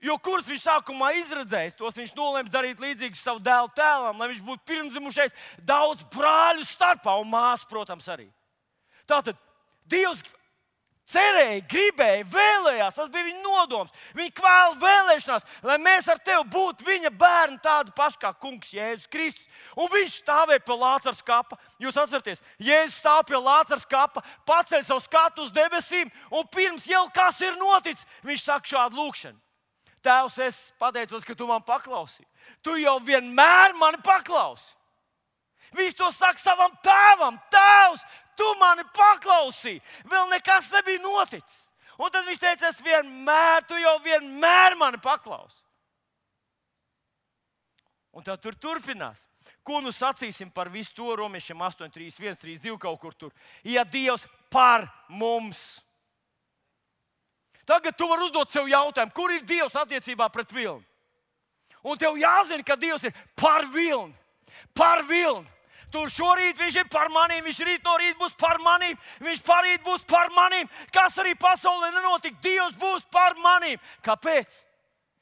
Jo kurus viņš sākumā izredzējis, tos viņš nolēma darīt līdzīgus savu dēlu tēlam, lai viņš būtu pirmdzimušais daudz brāļu starpā un māsu, protams, arī. Tātad Dievs cerēja, gribēja, vēlējās, tas bija viņa nodoms. Viņa kvēla vēlēšanās, lai mēs ar tevi būtu viņa bērni tādi paši kā kungs Jēzus Kristus. Un viņš stāvēja pie Lācara skapa. Jūs atceraties, Jēzus stāv pie Lācara skapa, paceļ savu skatu uz debesīm, un pirms jau kas ir noticis, viņš saka šādu lūkšanu. Tēvs, es pateicos, ka tu man paklausīji. Tu jau vienmēr mani paklausi. Viņš to saka savam tēvam. Tēvs, tu mani paklausīji. Vēl nekas nebija noticis. Un tad viņš teica, tu jau vienmēr mani paklausi. Un tā tur turpinās. Ko nu sacīsim par visu to Romiešiem 8, 3, 1, 3, 2 kaut kur tur? Ja Dievs par mums. Tagad tu vari uzdot sev jautājumu, kur ir Dievs attiecībā pret vilni? Un tev jāzina, ka Dievs ir par vilni. Par vilni. Tur šorīt viņš ir par manīm, viņš rīt no rīta būs par manīm, viņš parīt būs par manīm. Kas arī pasaulē nenotika, Dievs būs par manīm. Kāpēc?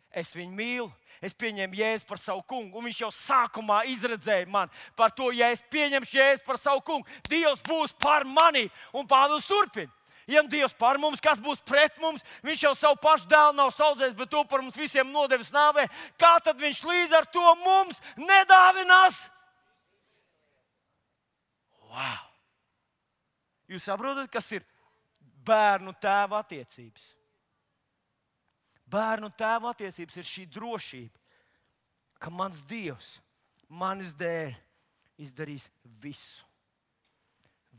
Es viņu mīlu. Es pieņēmu Jēzu par savu kungu, un viņš jau sākumā izredzēja man par to, ja es pieņemšu Jēzu par savu kungu, Dievs būs par manīm. Un Pāvils turpina. Ja Dievs par mums, kas būs pret mums, viņš jau savu pašu dēlu nav saudzējis, bet to par mums visiem nodevis nāvē. Kā tad viņš līdz ar to mums nedāvinās? Wow! Jūs saprotat, kas ir bērnu tēva attiecības? Bērnu tēva attiecības ir šī drošība, ka mans Dievs manis dēļ izdarīs visu.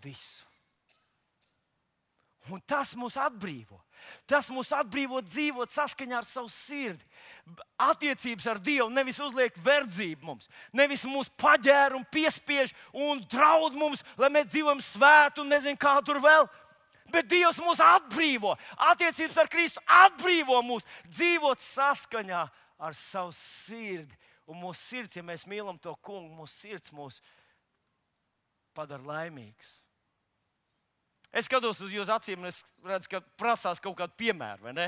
Visu. Un tas mūs atbrīvo. Tas mūs atbrīvo dzīvot saskaņā ar savu sirdi. Attiecības ar Dievu nevis uzliek verdzību mums, nevis mūs paģēra un piespiež un draud mums, lai mēs dzīvojam svētu un nezinu kā tur vēl. Bet Dievs mūs atbrīvo. Attiecības ar Kristu atbrīvo mūs dzīvot saskaņā ar savu sirdi. Un mūsu sirds, ja mēs mīlam to kungu, mūsu sirds mūs padara laimīgus. Es skatos uz jūsu acīm, un es redzu, ka prasās kaut kādu piemēru, vai ne?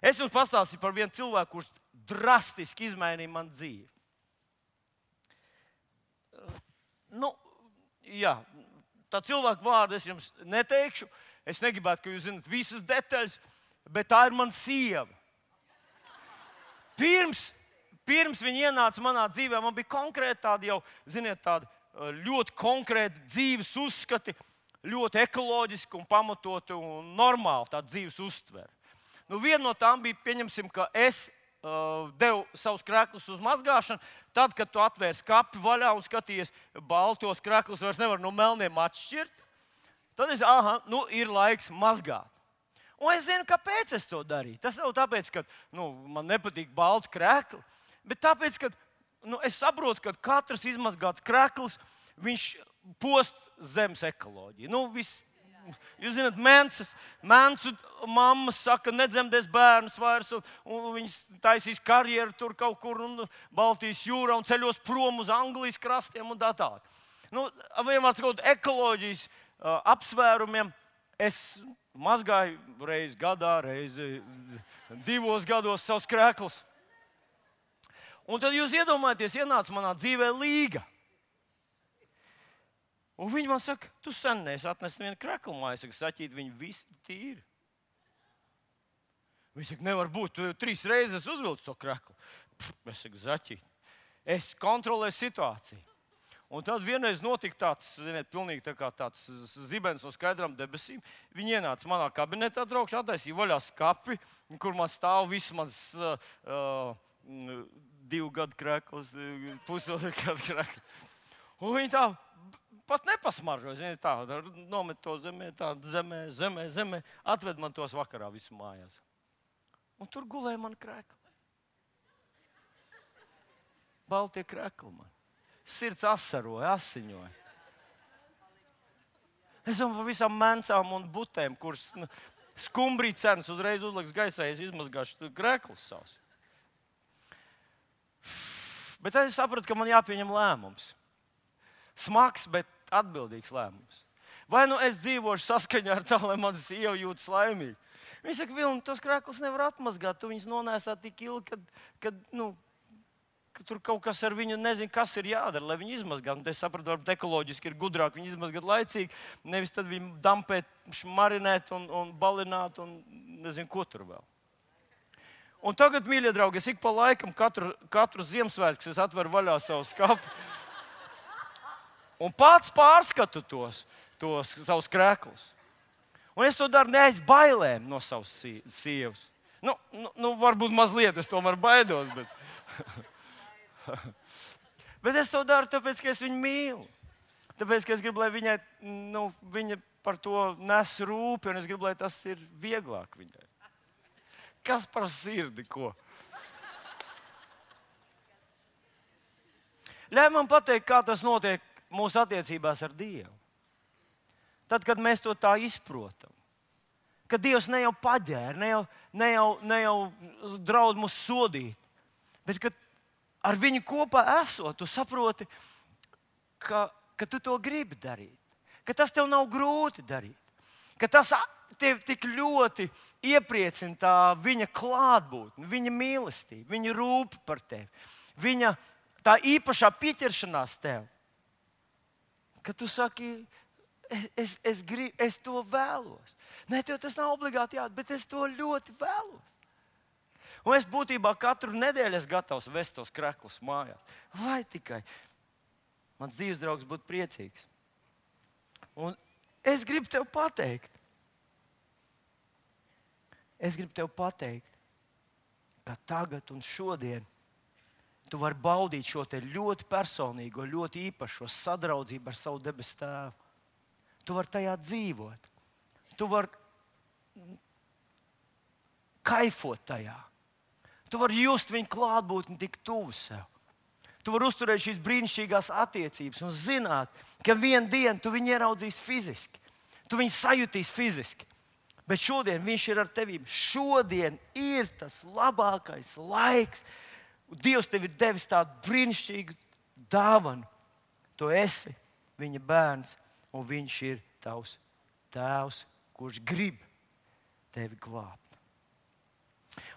Es jums pastāstīju par vienu cilvēku, kurš drastiski izmainīja manu dzīvi. Tā cilvēka vārdu es jums neteikšu. Es negribētu, ka jūs zināt visas detaļas, bet tā ir mana sieva. Pirms viņa ienāca manā dzīvē, man bija konkrēti tādi jau, ziniet, tādi ļoti konkrēti dzīves uzskati, ļoti ekoloģiski un pamatoti un normāli tāda dzīves uztvere. Viena no tām bija, pieņemsim, ka es devu savus krēklus uz mazgāšanu. Tad, kad tu atvērs kapi vaļā un skaties baltos krēklus, vairs nevar no melniem atšķirt, tad es, ir laiks mazgāt. Un es zinu, kāpēc es to darīju. Tas nav tāpēc, ka man nepatīk balti krēkli, bet tāpēc, ka es saprotu, ka katrs izmazgāts krēkls, viņš post zemes ekoloģiju. Jūs zināt, mēncu mammas saka, nedzemdēs bērnus vairs, un viņas taisīs karjeru tur kaut kur un Baltijas jūrā un ceļos prom uz Anglijas krastiem un tā tālāk. Vienmēr sakot, ekoloģijas apsvērumiem es mazgāju reizi gadā, reizi 2 gados savus krēklus. Un tad jūs iedomājaties, ienāca manā dzīvē Līga. Un viņi man saka, tu sen neesi atnesis vienu kreklu māju. Es saku, Saķīt, viņi visi tīri. Viņi saka, nevar būt, tu 3 reizes uzvilci to kreklu. Es saku, Saķīt, es kontrolēju situāciju. Un tad vienreiz notika tāds, ziniet, pilnīgi tāds zibens no skaidrām debesīm. Viņi ienāca manā kabinetā, draugši, attaisīja vaļā skapi, kur man stāv viss mans 2 gadu krekls, pusotru gadu krekls. Un viņi tā pat nepasmaržoja. Viņi tā nomet to zemē, zemē, atved man tos vakarā visu mājās. Un tur gulēja man krekli. Baltie krekli man. Sirds asaroja, asiņoja. Es domāju par visām mencām un butēm, kuras skumbrī cenas uzreiz uzliks gaisā, es izmazgāšu kreklus savus. Bet es sapratu, ka man jāpieņem lēmums. Smags, bet atbildīgs lēmums. Vai es dzīvošu saskaņā ar tā, lai man sieva jūtas laimīgi? Viņi saka, Vilni, tos kreklus nevar atmazgāt, tu viņus nonēsā tik ilgi, kad tur kaut kas ar viņu nezinu, kas ir jādara, lai viņi izmazgātu. Es sapratu, varbūt ekoloģiski ir gudrāk viņi izmazgāt laicīgi, nevis tad viņi dampēt, marinēt un balināt un nezinu, ko tur vēl. Un tagad, mīļie draugi, es ik pa laikam katru Ziemassvētku es atveru vaļā savu skapu un pats pārskatu tos savus kreklus. Un es to daru ne aiz bailēm no savas sievas. Varbūt mazliet es tomēr baidos, bet es to daru tāpēc, ka es viņu mīlu. Tāpēc, ka es gribu, lai viņa par to nes rūpi, un es gribu, lai tas ir vieglāk viņai. Kas par sirdi, ko? Ļauj man pateikt, kā tas notiek mūsu attiecībās ar Dievu. Tad, kad mēs to tā izprotam, ka Dievs ne jau paģēra, ne jau draud mūs sodīt, bet ka ar viņu kopā esot, tu saproti, ka tu to gribi darīt, ka tas tev nav grūti darīt, ka tas tevi tik ļoti iepriecina tā viņa klātbūtne, viņa mīlestība, viņa rūpe par tevi, viņa tā īpašā pieķeršanās tev, ka tu saki, es to vēlos. Nē, tev tas nav obligāti jādara, bet es to ļoti vēlos. Un es būtībā katru nedēļu esmu gatavs vest tos kreklus mājās. Vai tikai mans dzīves draugs būtu priecīgs. Un es gribu tev pateikt, ka tagad un šodien tu vari baudīt šo te ļoti personīgo, ļoti īpašo sadraudzību ar savu debesu Tēvu. Tu vari tajā dzīvot. Tu vari kaifot tajā. Tu vari just viņu klātbūtni tik tuvu sev. Tu vari uzturēt šīs brīnišķīgās attiecības un zināt, ka vienu dienu tu viņu ieraudzīsi fiziski. Tu viņu sajutīsi fiziski. Bet šodien viņš ir ar tevi. Šodien ir tas labākais laiks. Dievs tev ir devis tādu brīnišķīgu dāvanu. Tu esi viņa bērns, un viņš ir tavs tēvs, kurš grib tevi glābt.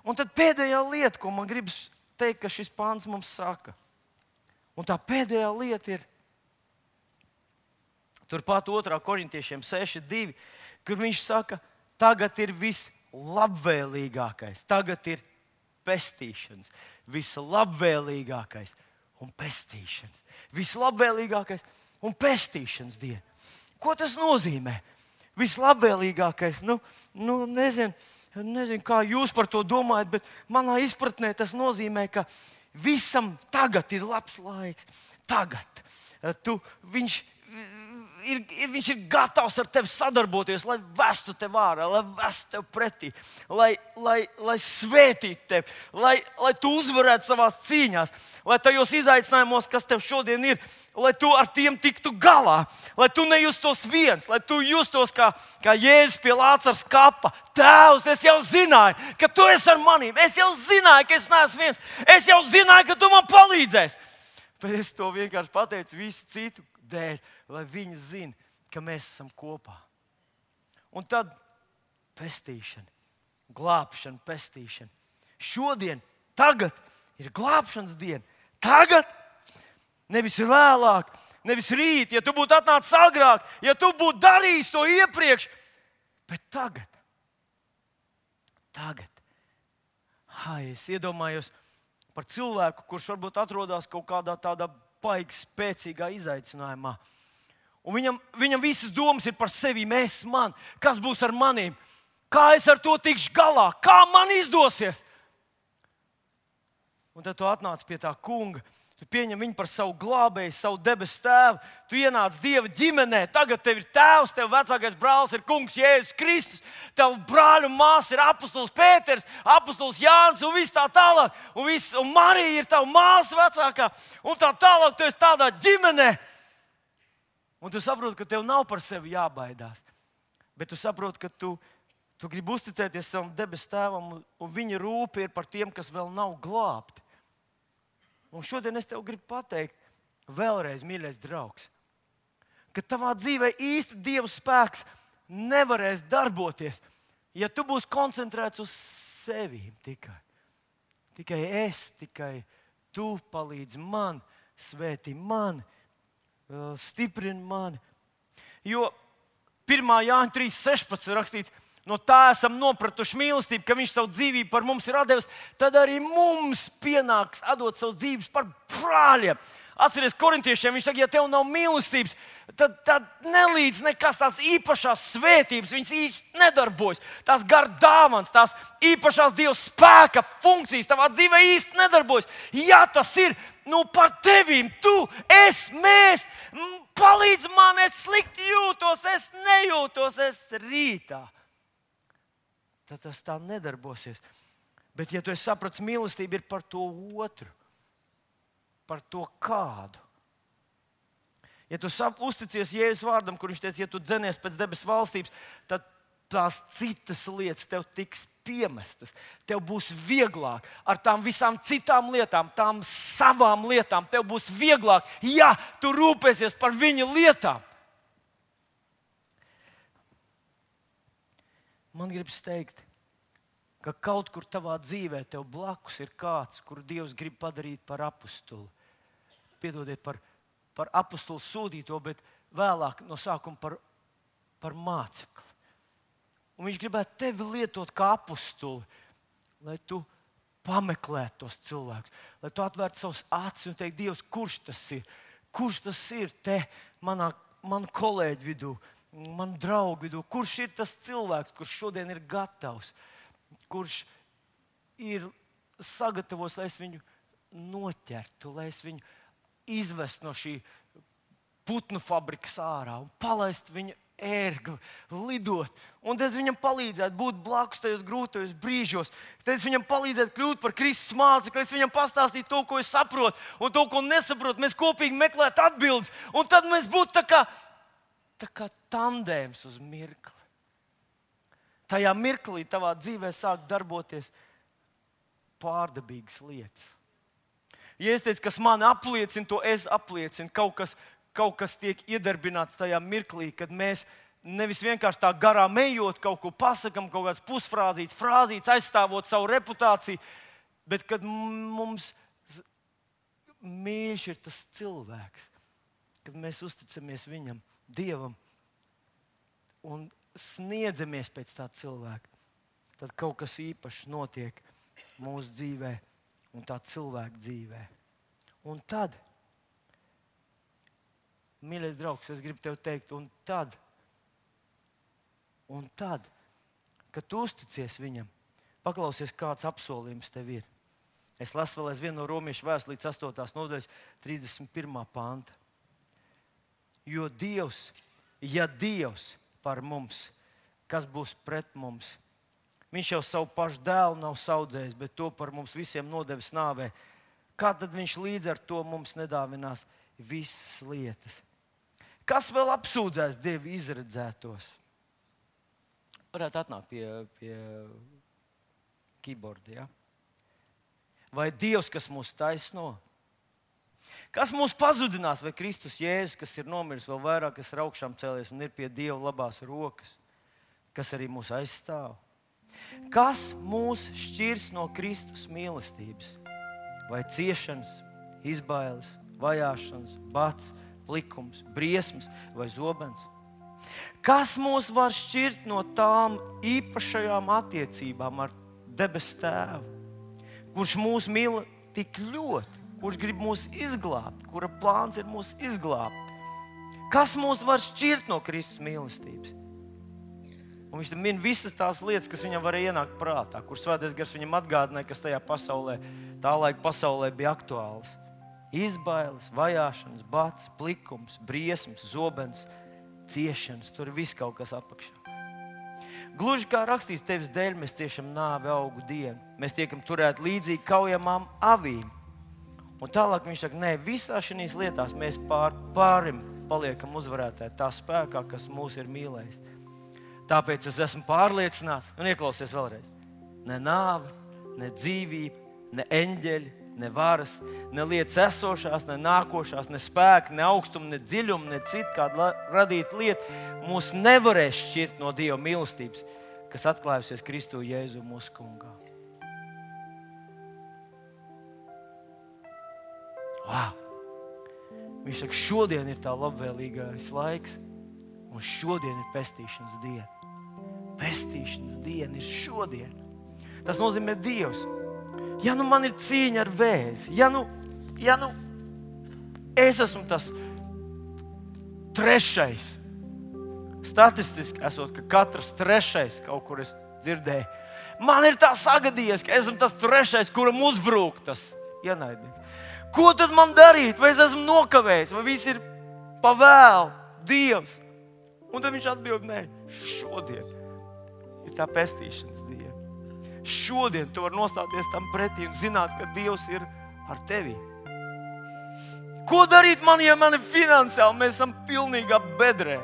Un tad pēdējā lieta, ko man gribas teikt, ka šis pāns mums saka. Un tā pēdējā lieta ir turpat 2. Korintiešiem 6:2, kur viņš saka, tagad ir vislabvēlīgākais, tagad ir pestīšanas, vislabvēlīgākais un pestīšanas. Vislabvēlīgākais un pestīšanas diena. Ko tas nozīmē? Vislabvēlīgākais, nezinu, kā jūs par to domājat, bet manā izpratnē tas nozīmē, ka visam tagad ir labs laiks. Tagad. Viņš ir gatavs ar tevi sadarboties, lai vestu tevi ārā, lai vestu tevi pretī, lai svētītu tevi, lai tu uzvarētu savās cīņās, lai tajos izaicinājumos, kas tev šodien ir, lai tu ar tiem tiktu galā, lai tu nejustos viens, lai tu justos kā Jēzus pie Lācara kapa. Tēvs, es jau zināju, ka tu esi ar manīm, es jau zināju, ka es neesmu viens, es jau zināju, ka tu man palīdzēsi. Bet es to vienkārši pateicu visu citu dēļ, lai viņi zina, ka mēs esam kopā. Un tad pestīšana, glābšana, pestīšana. Šodien, tagad ir glābšanas diena. Tagad, nevis vēlāk, nevis rīt, ja tu būtu atnācis agrāk, ja tu būtu darījis to iepriekš, bet tagad. Es iedomājos par cilvēku, kurš varbūt atrodas kaut kādā tādā baigi spēcīgā izaicinājumā. Un viņam visas domas ir par sevi, man, kas būs ar maniem, kā es ar to tikšu galā, kā man izdosies. Un tad tu atnāc pie tā kunga, tu pieņem viņu par savu glābēju, savu debesu tēvu, tu ienāc Dieva ģimenē, tagad tev ir tēvs, tev vecākais brālis ir kungs Jēzus Kristus, tev brāļi un māsa ir apostols Pēters, apostols Jānis un viss tā tālāk, un Marija ir tava māsa vecākā, un tā tālāk, tu esi tādā ģimenē. Un tu saproti, ka tev nav par sevi jābaidās, bet tu saproti, ka tu gribi uzticēties savam debesu tēvam, un viņa rūpe ir par tiem, kas vēl nav glābti. Un šodien es tev gribu pateikt, vēlreiz, mīļais draugs, ka tavā dzīvē īsti Dieva spēks nevarēs darboties, ja tu būsi koncentrēts uz sevi tikai. Tikai tu palīdzi man, svētī mani, stiprini mani. Jo 1. Jāņa 3:16 rakstīts, no tā esam nopratuši mīlestību, ka viņš savu dzīvību par mums ir atdevis, tad arī mums pienāks atdot savu dzīvības par brāļiem. Atceries korintiešiem, viņš saka, ja tev nav mīlestības, tad nelīdz nekas tās īpašās svētības, viņas īsti nedarbojas. Tās gar dāvans, tās īpašās Dieva spēka funkcijas tavā dzīvē īsti nedarbojas. Ja tas ir, par tevīm, tu, mēs, palīdz man, es slikti jūtos, es nejūtos, es rītā. Tad tas tā nedarbosies. Bet, ja tu esi sapratis, mīlestība ir par to otru, par to kādu. Ja tu uzticies Jēzus vārdam, kur viņš teica, ja tu dzenies pēc debesu valstības, tad tās citas lietas tev tiks piemestas. Tev būs vieglāk ar tām visām citām lietām, tām savām lietām. Tev būs vieglāk, ja tu rūpēsies par viņa lietām. Man gribas teikt, ka kaut kur tavā dzīvē tev blakus ir kāds, kuru Dievs grib padarīt par apostuli. Piedodiet par apostuli sūtīto, bet vēlāk no sākuma par mācekli. Un viņš gribētu tevi lietot kā apostuli, lai tu pameklētu tos cilvēkus, lai tu atvērtu savus acis un teiktu, Dievs, kurš tas ir? Kurš tas ir te man kolēģi vidū, man draugu vidū? Kurš ir tas cilvēks, kurš šodien ir gatavs? Kurš ir sagatavos, lai es viņu noķertu, lai es viņu izvestu no šī putnu fabrikas ārā un palaistu viņu ērgli, lidot. Un tad es viņam palīdzētu būt blakus tajos grūtajos brīžos. Tad es viņam palīdzētu kļūt par Kristus mācekli, es viņam pastāstītu to, ko es saprotu, un to, ko nesaprotu. Mēs kopīgi meklētu atbildes, un tad mēs būtu tā kā tā kā tandēms uz mirkli. Tajā mirklī tavā dzīvē sāk darboties pārdabīgas lietas. Ja es teicu, kas mani apliecina, to es apliecinu. Kaut kas tiek iedarbināts tajā mirklī, kad mēs nevis vienkārši tā garām ejot, kaut ko pasakam, kaut kāds frāzīts, aizstāvot savu reputāciju, bet kad mums mīļš ir tas cilvēks, kad mēs uzticamies viņam, Dievam, un sniedzamies pēc tā cilvēka, tad kaut kas īpašs notiek mūsu dzīvē un tā cilvēka dzīvē. Un tad, mīļais draugs, es gribu tev teikt, un tad, kad tu uzticies viņam, paklausies, kāds apsolījums tev ir. Es lasu vēl aizvien no Romiešu vēstules līdz 8. nodaļas 31. panta. Jo Dievs, ja Dievs par mums, kas būs pret mums? Viņš jau savu pašu dēlu nav saudzējis, bet to par mums visiem nodevis nāvē. Kā tad viņš līdz ar to mums nedāvinās visas lietas? Kas vēl apsūdzēs Dievu izredzētos? Varētu atnākt pie keyboarda, ja? Vai Dievs, kas mūs taisno? Kas mūs pazudinās, vai Kristus Jēzus, kas ir nomiris vēl vairāk, kas ir augšām cēlies un ir pie Dieva labās rokas, kas arī mūs aizstāv? Kas mūs šķirs no Kristus mīlestības? Vai ciešanas, izbailes, vajāšanas, bats, plikums, briesmas vai zobens? Kas mūs var šķirt no tām īpašajām attiecībām ar debesu Tēvu, kurš mūs mīl tik ļoti, kurš grib mūs izglābt, kura plāns ir mūs izglābt? Kas mūs var šķirt no Kristus mīlestības? Un viņš min visas tās lietas, kas viņam varēja ienākt prātā, kur Svētais Gars viņam atgādināja, kas tajā pasaulē, tā laika pasaulē bija aktuāls. Izbailes, vajāšanas, bats, plikums, briesmas, zobens, ciešanas, tur viss kaut kas apakšā. Gluži kā rakstīts, tevis dēļ mēs ciešam nāvi augu dienu. Mēs tiekam turēti līdzīgi kaujamām avīm. Un tālāk viņš saka, nē, visā šīs lietās mēs pārim paliekam uzvarētāji tā spēkā, kas mūs ir mīlējis. Tāpēc es esmu pārliecināts, un ieklausies vēlreiz, ne nāve, ne dzīvība, ne eņģeļi, ne varas, ne lietas esošās, ne nākošās, ne spēki, ne augstumi, ne dziļumi, ne citu kādu radītu lietu mūs nevarēs šķirt no Dieva mīlestības, kas atklājusies Kristu Jēzu mūsu Kungā. Wow! Viņš saka, šodien ir tā labvēlīgais laiks, un šodien ir pestīšanas diena. Pestīšanas diena ir šodien. Tas nozīmē Dievs. Ja nu man ir cīņa ar vēzi, ja nu es esmu tas trešais, statistiski esot, ka katrs trešais kaut kur es dzirdēju, man ir tā sagadījies, ka esmu tas trešais, kuram uzbrūk tas ienaidnieks. Ko tad man darīt? Vai es esmu nokavējis? Vai viss ir pavēl? Dievs. Un tad viņš atbild, nē, šodien ir tā pestīšanas diena. Šodien tu vari nostāties tam pretī un zināt, ka Dievs ir ar tevi. Ko darīt man, ja man ir finansiāli? Mēs esam pilnīgā bedrē.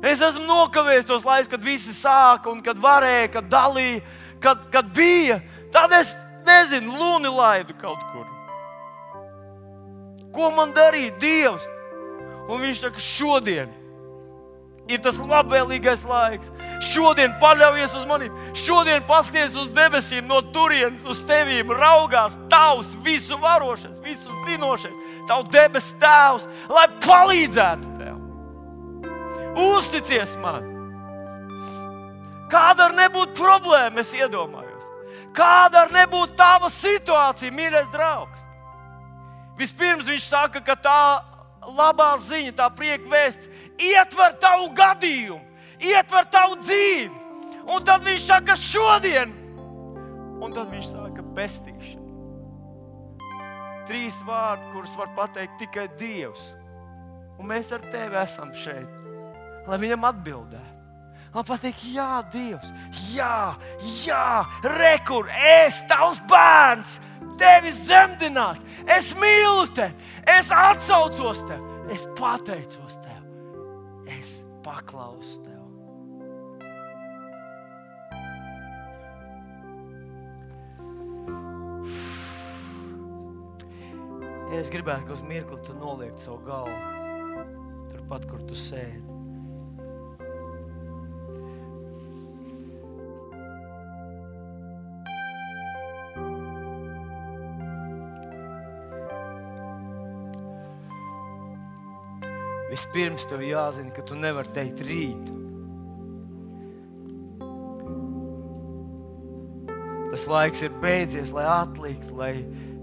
Es esmu nokavējis tos laikus, kad visi sāka un kad varēja, kad dalīja, kad bija. Tad es nezinu, luni laidu kaut kur. Ko man darīt? Dievs. Un viņš saka, šodien ir tas labvēlīgais laiks. Šodien paļaujies uz mani. Šodien paskaties uz debesīm no turienes, uz tevīm. Raugās tavs visu varošais, visu zinošais, tavu debesu Tēvs, lai palīdzētu tev. Uzticies man. Kāda ar nebūtu problēma, es iedomājos. Kāda ar nebūtu tava situācija, mīļais draugs. Vispirms viņš saka, ka tā labā ziņa, tā prieka vēsts ietver tavu gadījumu, ietver tavu dzīvi. Un tad viņš saka šodien. Un tad viņš saka pestīšana. 3 vārdi, kurus var pateikt tikai Dievs. Un mēs ar tevi esam šeit, lai viņam atbildētu. Lai pateikt, jā, Dievs, jā, rekur, es tavs bērns, tevis zemdināts, es mīlu tevi, es atsaucos tevi, es pateicos tev. es paklausu Tev. Ja es gribētu, ka uz mirkli Tu noliektu savu galvu, turpat, kur Tu sēdi. Vispirms Tev jāzina, ka Tu nevari teikt rīt. Tas laiks ir beidzies, lai atliktu, lai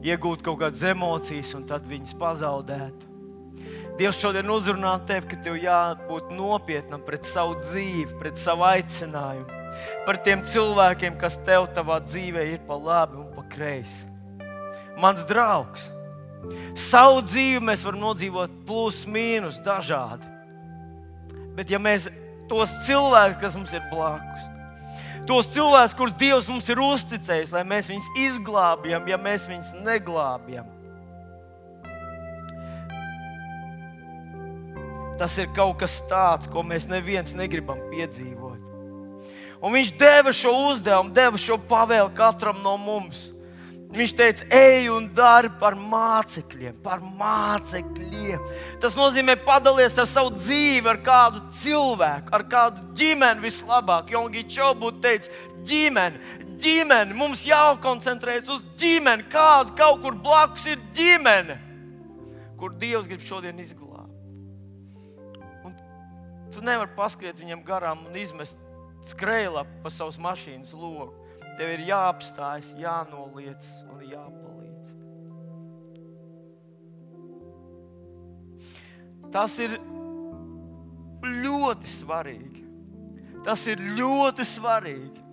iegūtu kaut kādas emocijas un tad viņas pazaudētu. Dievs šodien uzrunā Tevi, ka Tev jābūt nopietnam pret savu dzīvi, pret savu aicinājumu, par tiem cilvēkiem, kas Tev tavā dzīvē ir pa labi un pa kreisi. Mans draugs, savu dzīvi mēs varam nodzīvot plus, mīnus, dažādi. Bet ja mēs tos cilvēkus, kas mums ir blakus, tos cilvēkus, kurus Dievs mums ir uzticējis, lai mēs viņus izglābjam, ja mēs viņus neglābjam, tas ir kaut kas tāds, ko mēs neviens negribam piedzīvot. Un viņš deva šo uzdevumu, deva šo pavēli katram no mums. Viņš teica, ej un dari par mācekļiem, par mācekļiem. Tas nozīmē padalies ar savu dzīvi, ar kādu cilvēku, ar kādu ģimeni vislabāk. Jongi Čo būtu teicis, ģimeni, mums jākoncentrējas uz ģimeni, kādu kaut kur blakus ir ģimene, kur Dievs grib šodien izglābt. Un tu nevari paskriet viņam garām un izmest skrejlapu pa savas mašīnas logu. Tev ir jāapstājas, jānoliec un jāpalīdz. Tas ir ļoti svarīgi. Tas ir ļoti svarīgi.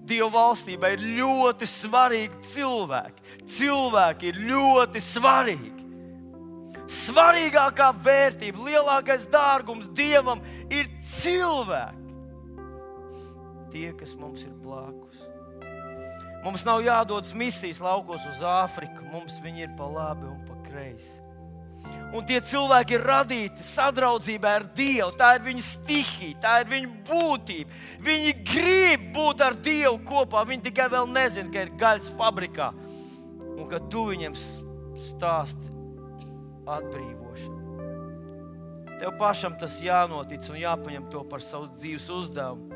Dieva valstībā ir ļoti svarīgi cilvēki. Cilvēki ir ļoti svarīgi. Svarīgākā vērtība, lielākais dārgums Dievam ir cilvēki. Tie, kas mums ir blakus. Mums nav jādodas misijas laukos uz Āfriku, mums viņi ir pa labi un pa kreisi. Un tie cilvēki ir radīti sadraudzībā ar Dievu, tā ir viņa stihija, tā ir viņa būtība. Viņi grib būt ar Dievu kopā, viņi tikai vēl nezina, ka ir gaļas fabrikā un ka tu viņiem stāsti atbrīvošanu. Tev pašam tas jānotic un jāpaņem to par savu dzīves uzdevumu.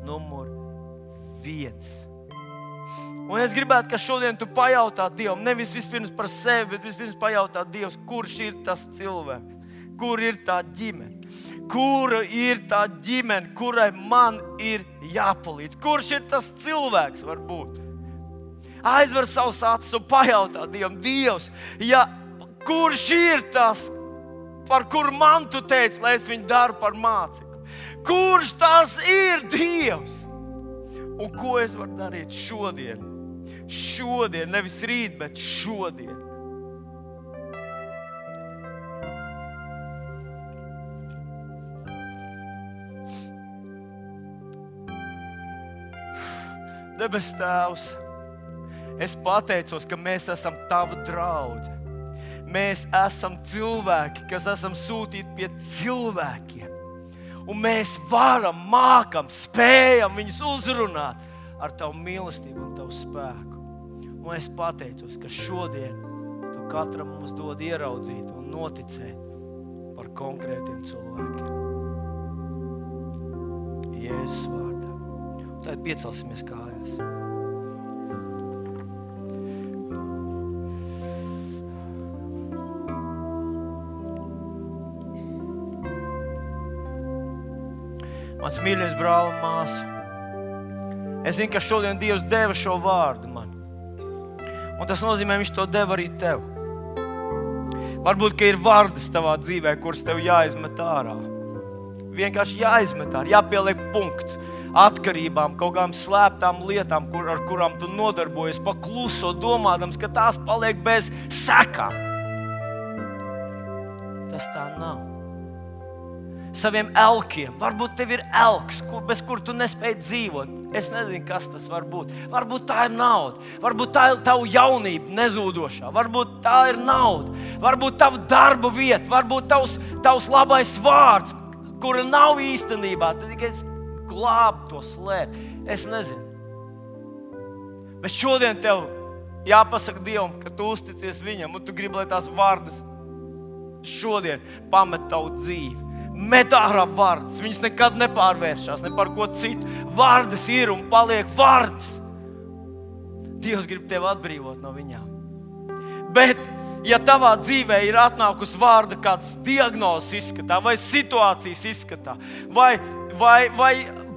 Numur 1. Un es gribētu, ka šodien tu pajautā Dievam, nevis vispirms par sevi, bet vispirms pajautā Dievs, kurš ir tas cilvēks, kur ir tā ģimene, kura ir tā ģimene, kurai man ir jāpalīdz, kurš ir tas cilvēks varbūt. Aizver savus acis un pajautā Dievam, Dievs, kurš ir tas, par kuru man tu teici, lai es viņu daru par mācekli? Kurš tas ir Dievs? Un ko es varu darīt šodien? Šodien, nevis rīt, bet šodien. Debes Tēvs, es pateicos, ka mēs esam Tava draudze. Mēs esam cilvēki, kas esam sūtīti pie cilvēkiem. Un mēs varam, mākam, spējam viņus uzrunāt ar Tavu mīlestību un Tavu spēku. Un es pateicos, ka šodien Tu katram mums dod ieraudzīt un noticēt par konkrētiem cilvēkiem. Jēzus vārdā. Tad piecelsimies kājās. Mans mīļais brāl un māsa, es zinu, ka šodien Dievs deva šo vārdu man. Un tas nozīmē, viņš to deva arī tev. Varbūt, ka ir vārdas tavā dzīvē, kuras tev jāizmet ārā. Vienkārši jāizmet ārā, jāpieliek punkts atkarībām, kaut kādām slēptām lietām, ar kurām tu nodarbojies, pakluso, domādams, ka tās paliek bez sekām. Tas tā nav. Saviem elkiem. Varbūt tev ir elks, bez kur tu nespēji dzīvot. Es nezinu, kas tas var būt. Varbūt tā ir nauda. Varbūt tā ir tavu jaunība nezūdošā. Varbūt tā ir nauda. Varbūt tava darba vieta. Varbūt tavs labais vārds, kura nav īstenībā, tu tikai glābi to slēp. Es nezinu. Bet šodien tev jāpasaka Dievam, ka tu uzticies viņam, un tu gribi, lai tās vārdas šodien pamet tavu dzīvi. Met ārā vārdas, viņas nekad nepārvēršās, ne par ko citu. Vārdas ir un paliek vārdas. Dievs grib tevi atbrīvot no viņām. Bet, ja tavā dzīvē ir atnākusi vārda kāds diagnozes izskatā, vai situācijas izskatā, vai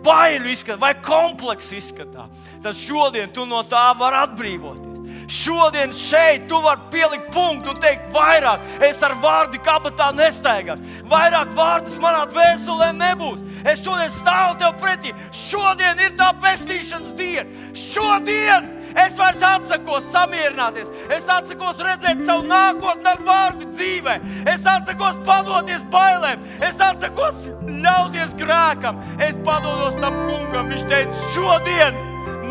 baiļu izskatā, vai kompleksu izskatā, tad šodien tu no tā vari atbrīvoties. Šodien šeit tu vari pielikt punktu un teikt vairāk. Es ar vārdi kabatā nestaigāšu. Vairāk vārdas manā dvēselē nebūs. Es šodien stāvu tev pretī. Šodien ir tā pestīšanas diena. Šodien es vairs atsakos samierināties. Es atsakos redzēt savu nākotni ar vārdu dzīvē. Es atsakos padoties bailēm. Es atsakos ļauties grēkam. Es padodos tam kungam. Viņš teica, šodien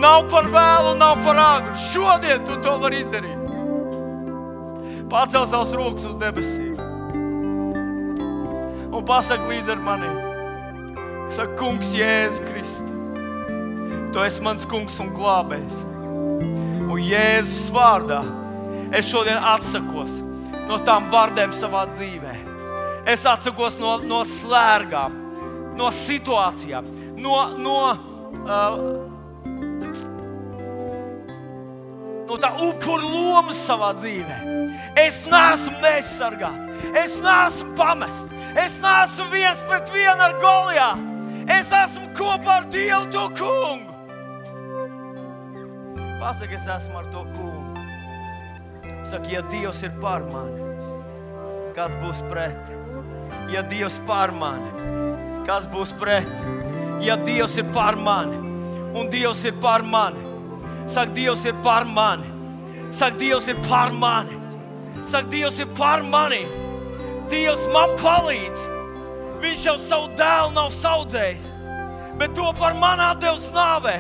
nav par vēlu, nav par āgru. Šodien tu to vari izdarīt. Pacel savus rokas uz debesīm. Un pasaka līdz ar mani. Saka, kungs Jēzu Kristu. Tu esi mans kungs un glābējs. Un Jēzus vārdā es šodien atsakos no tām vārdēm savā dzīvē. Es atsakos no slērgām, no situācijām, no tā upuru lomas savā dzīvē. Es neesmu neaizsargāts. Es neesmu pamests. Es neesmu viens pret vienu ar Golijātu. Es esmu kopā ar Dievu to kungu. Pasaka, es esmu ar to kungu. Saka, ja Dievs ir par mani, kas būs pret? Ja Dievs par mani, kas būs pret? Ja Dievs ir par mani, un Dievs ir par mani, saka, Dievs ir par mani. Saka, Dievs ir par mani. Saka, Dievs ir par mani. Dievs man palīdz. Viņš jau savu dēlu nav saudzējis, bet to par mani atdevis nāvē.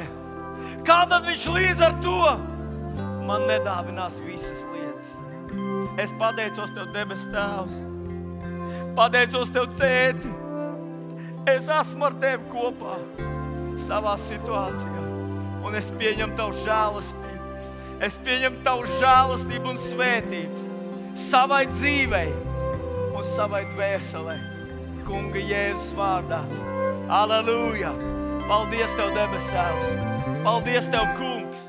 Kā tad viņš līdz ar to man nedāvinās visas lietas? Es pateicos Tev, debes Tēvs. Pateicos Tev, Tēti. Es esmu ar Tevi kopā savā situācijā. Un es pieņemu Tavu žēlastību. Es pieņemu Tavu žēlastību un svētību savai dzīvei un savai dvēselē. Kunga Jēzus vārdā. Aleluja! Paldies Tev, debes Tēvs! Paldies Tev, kungs!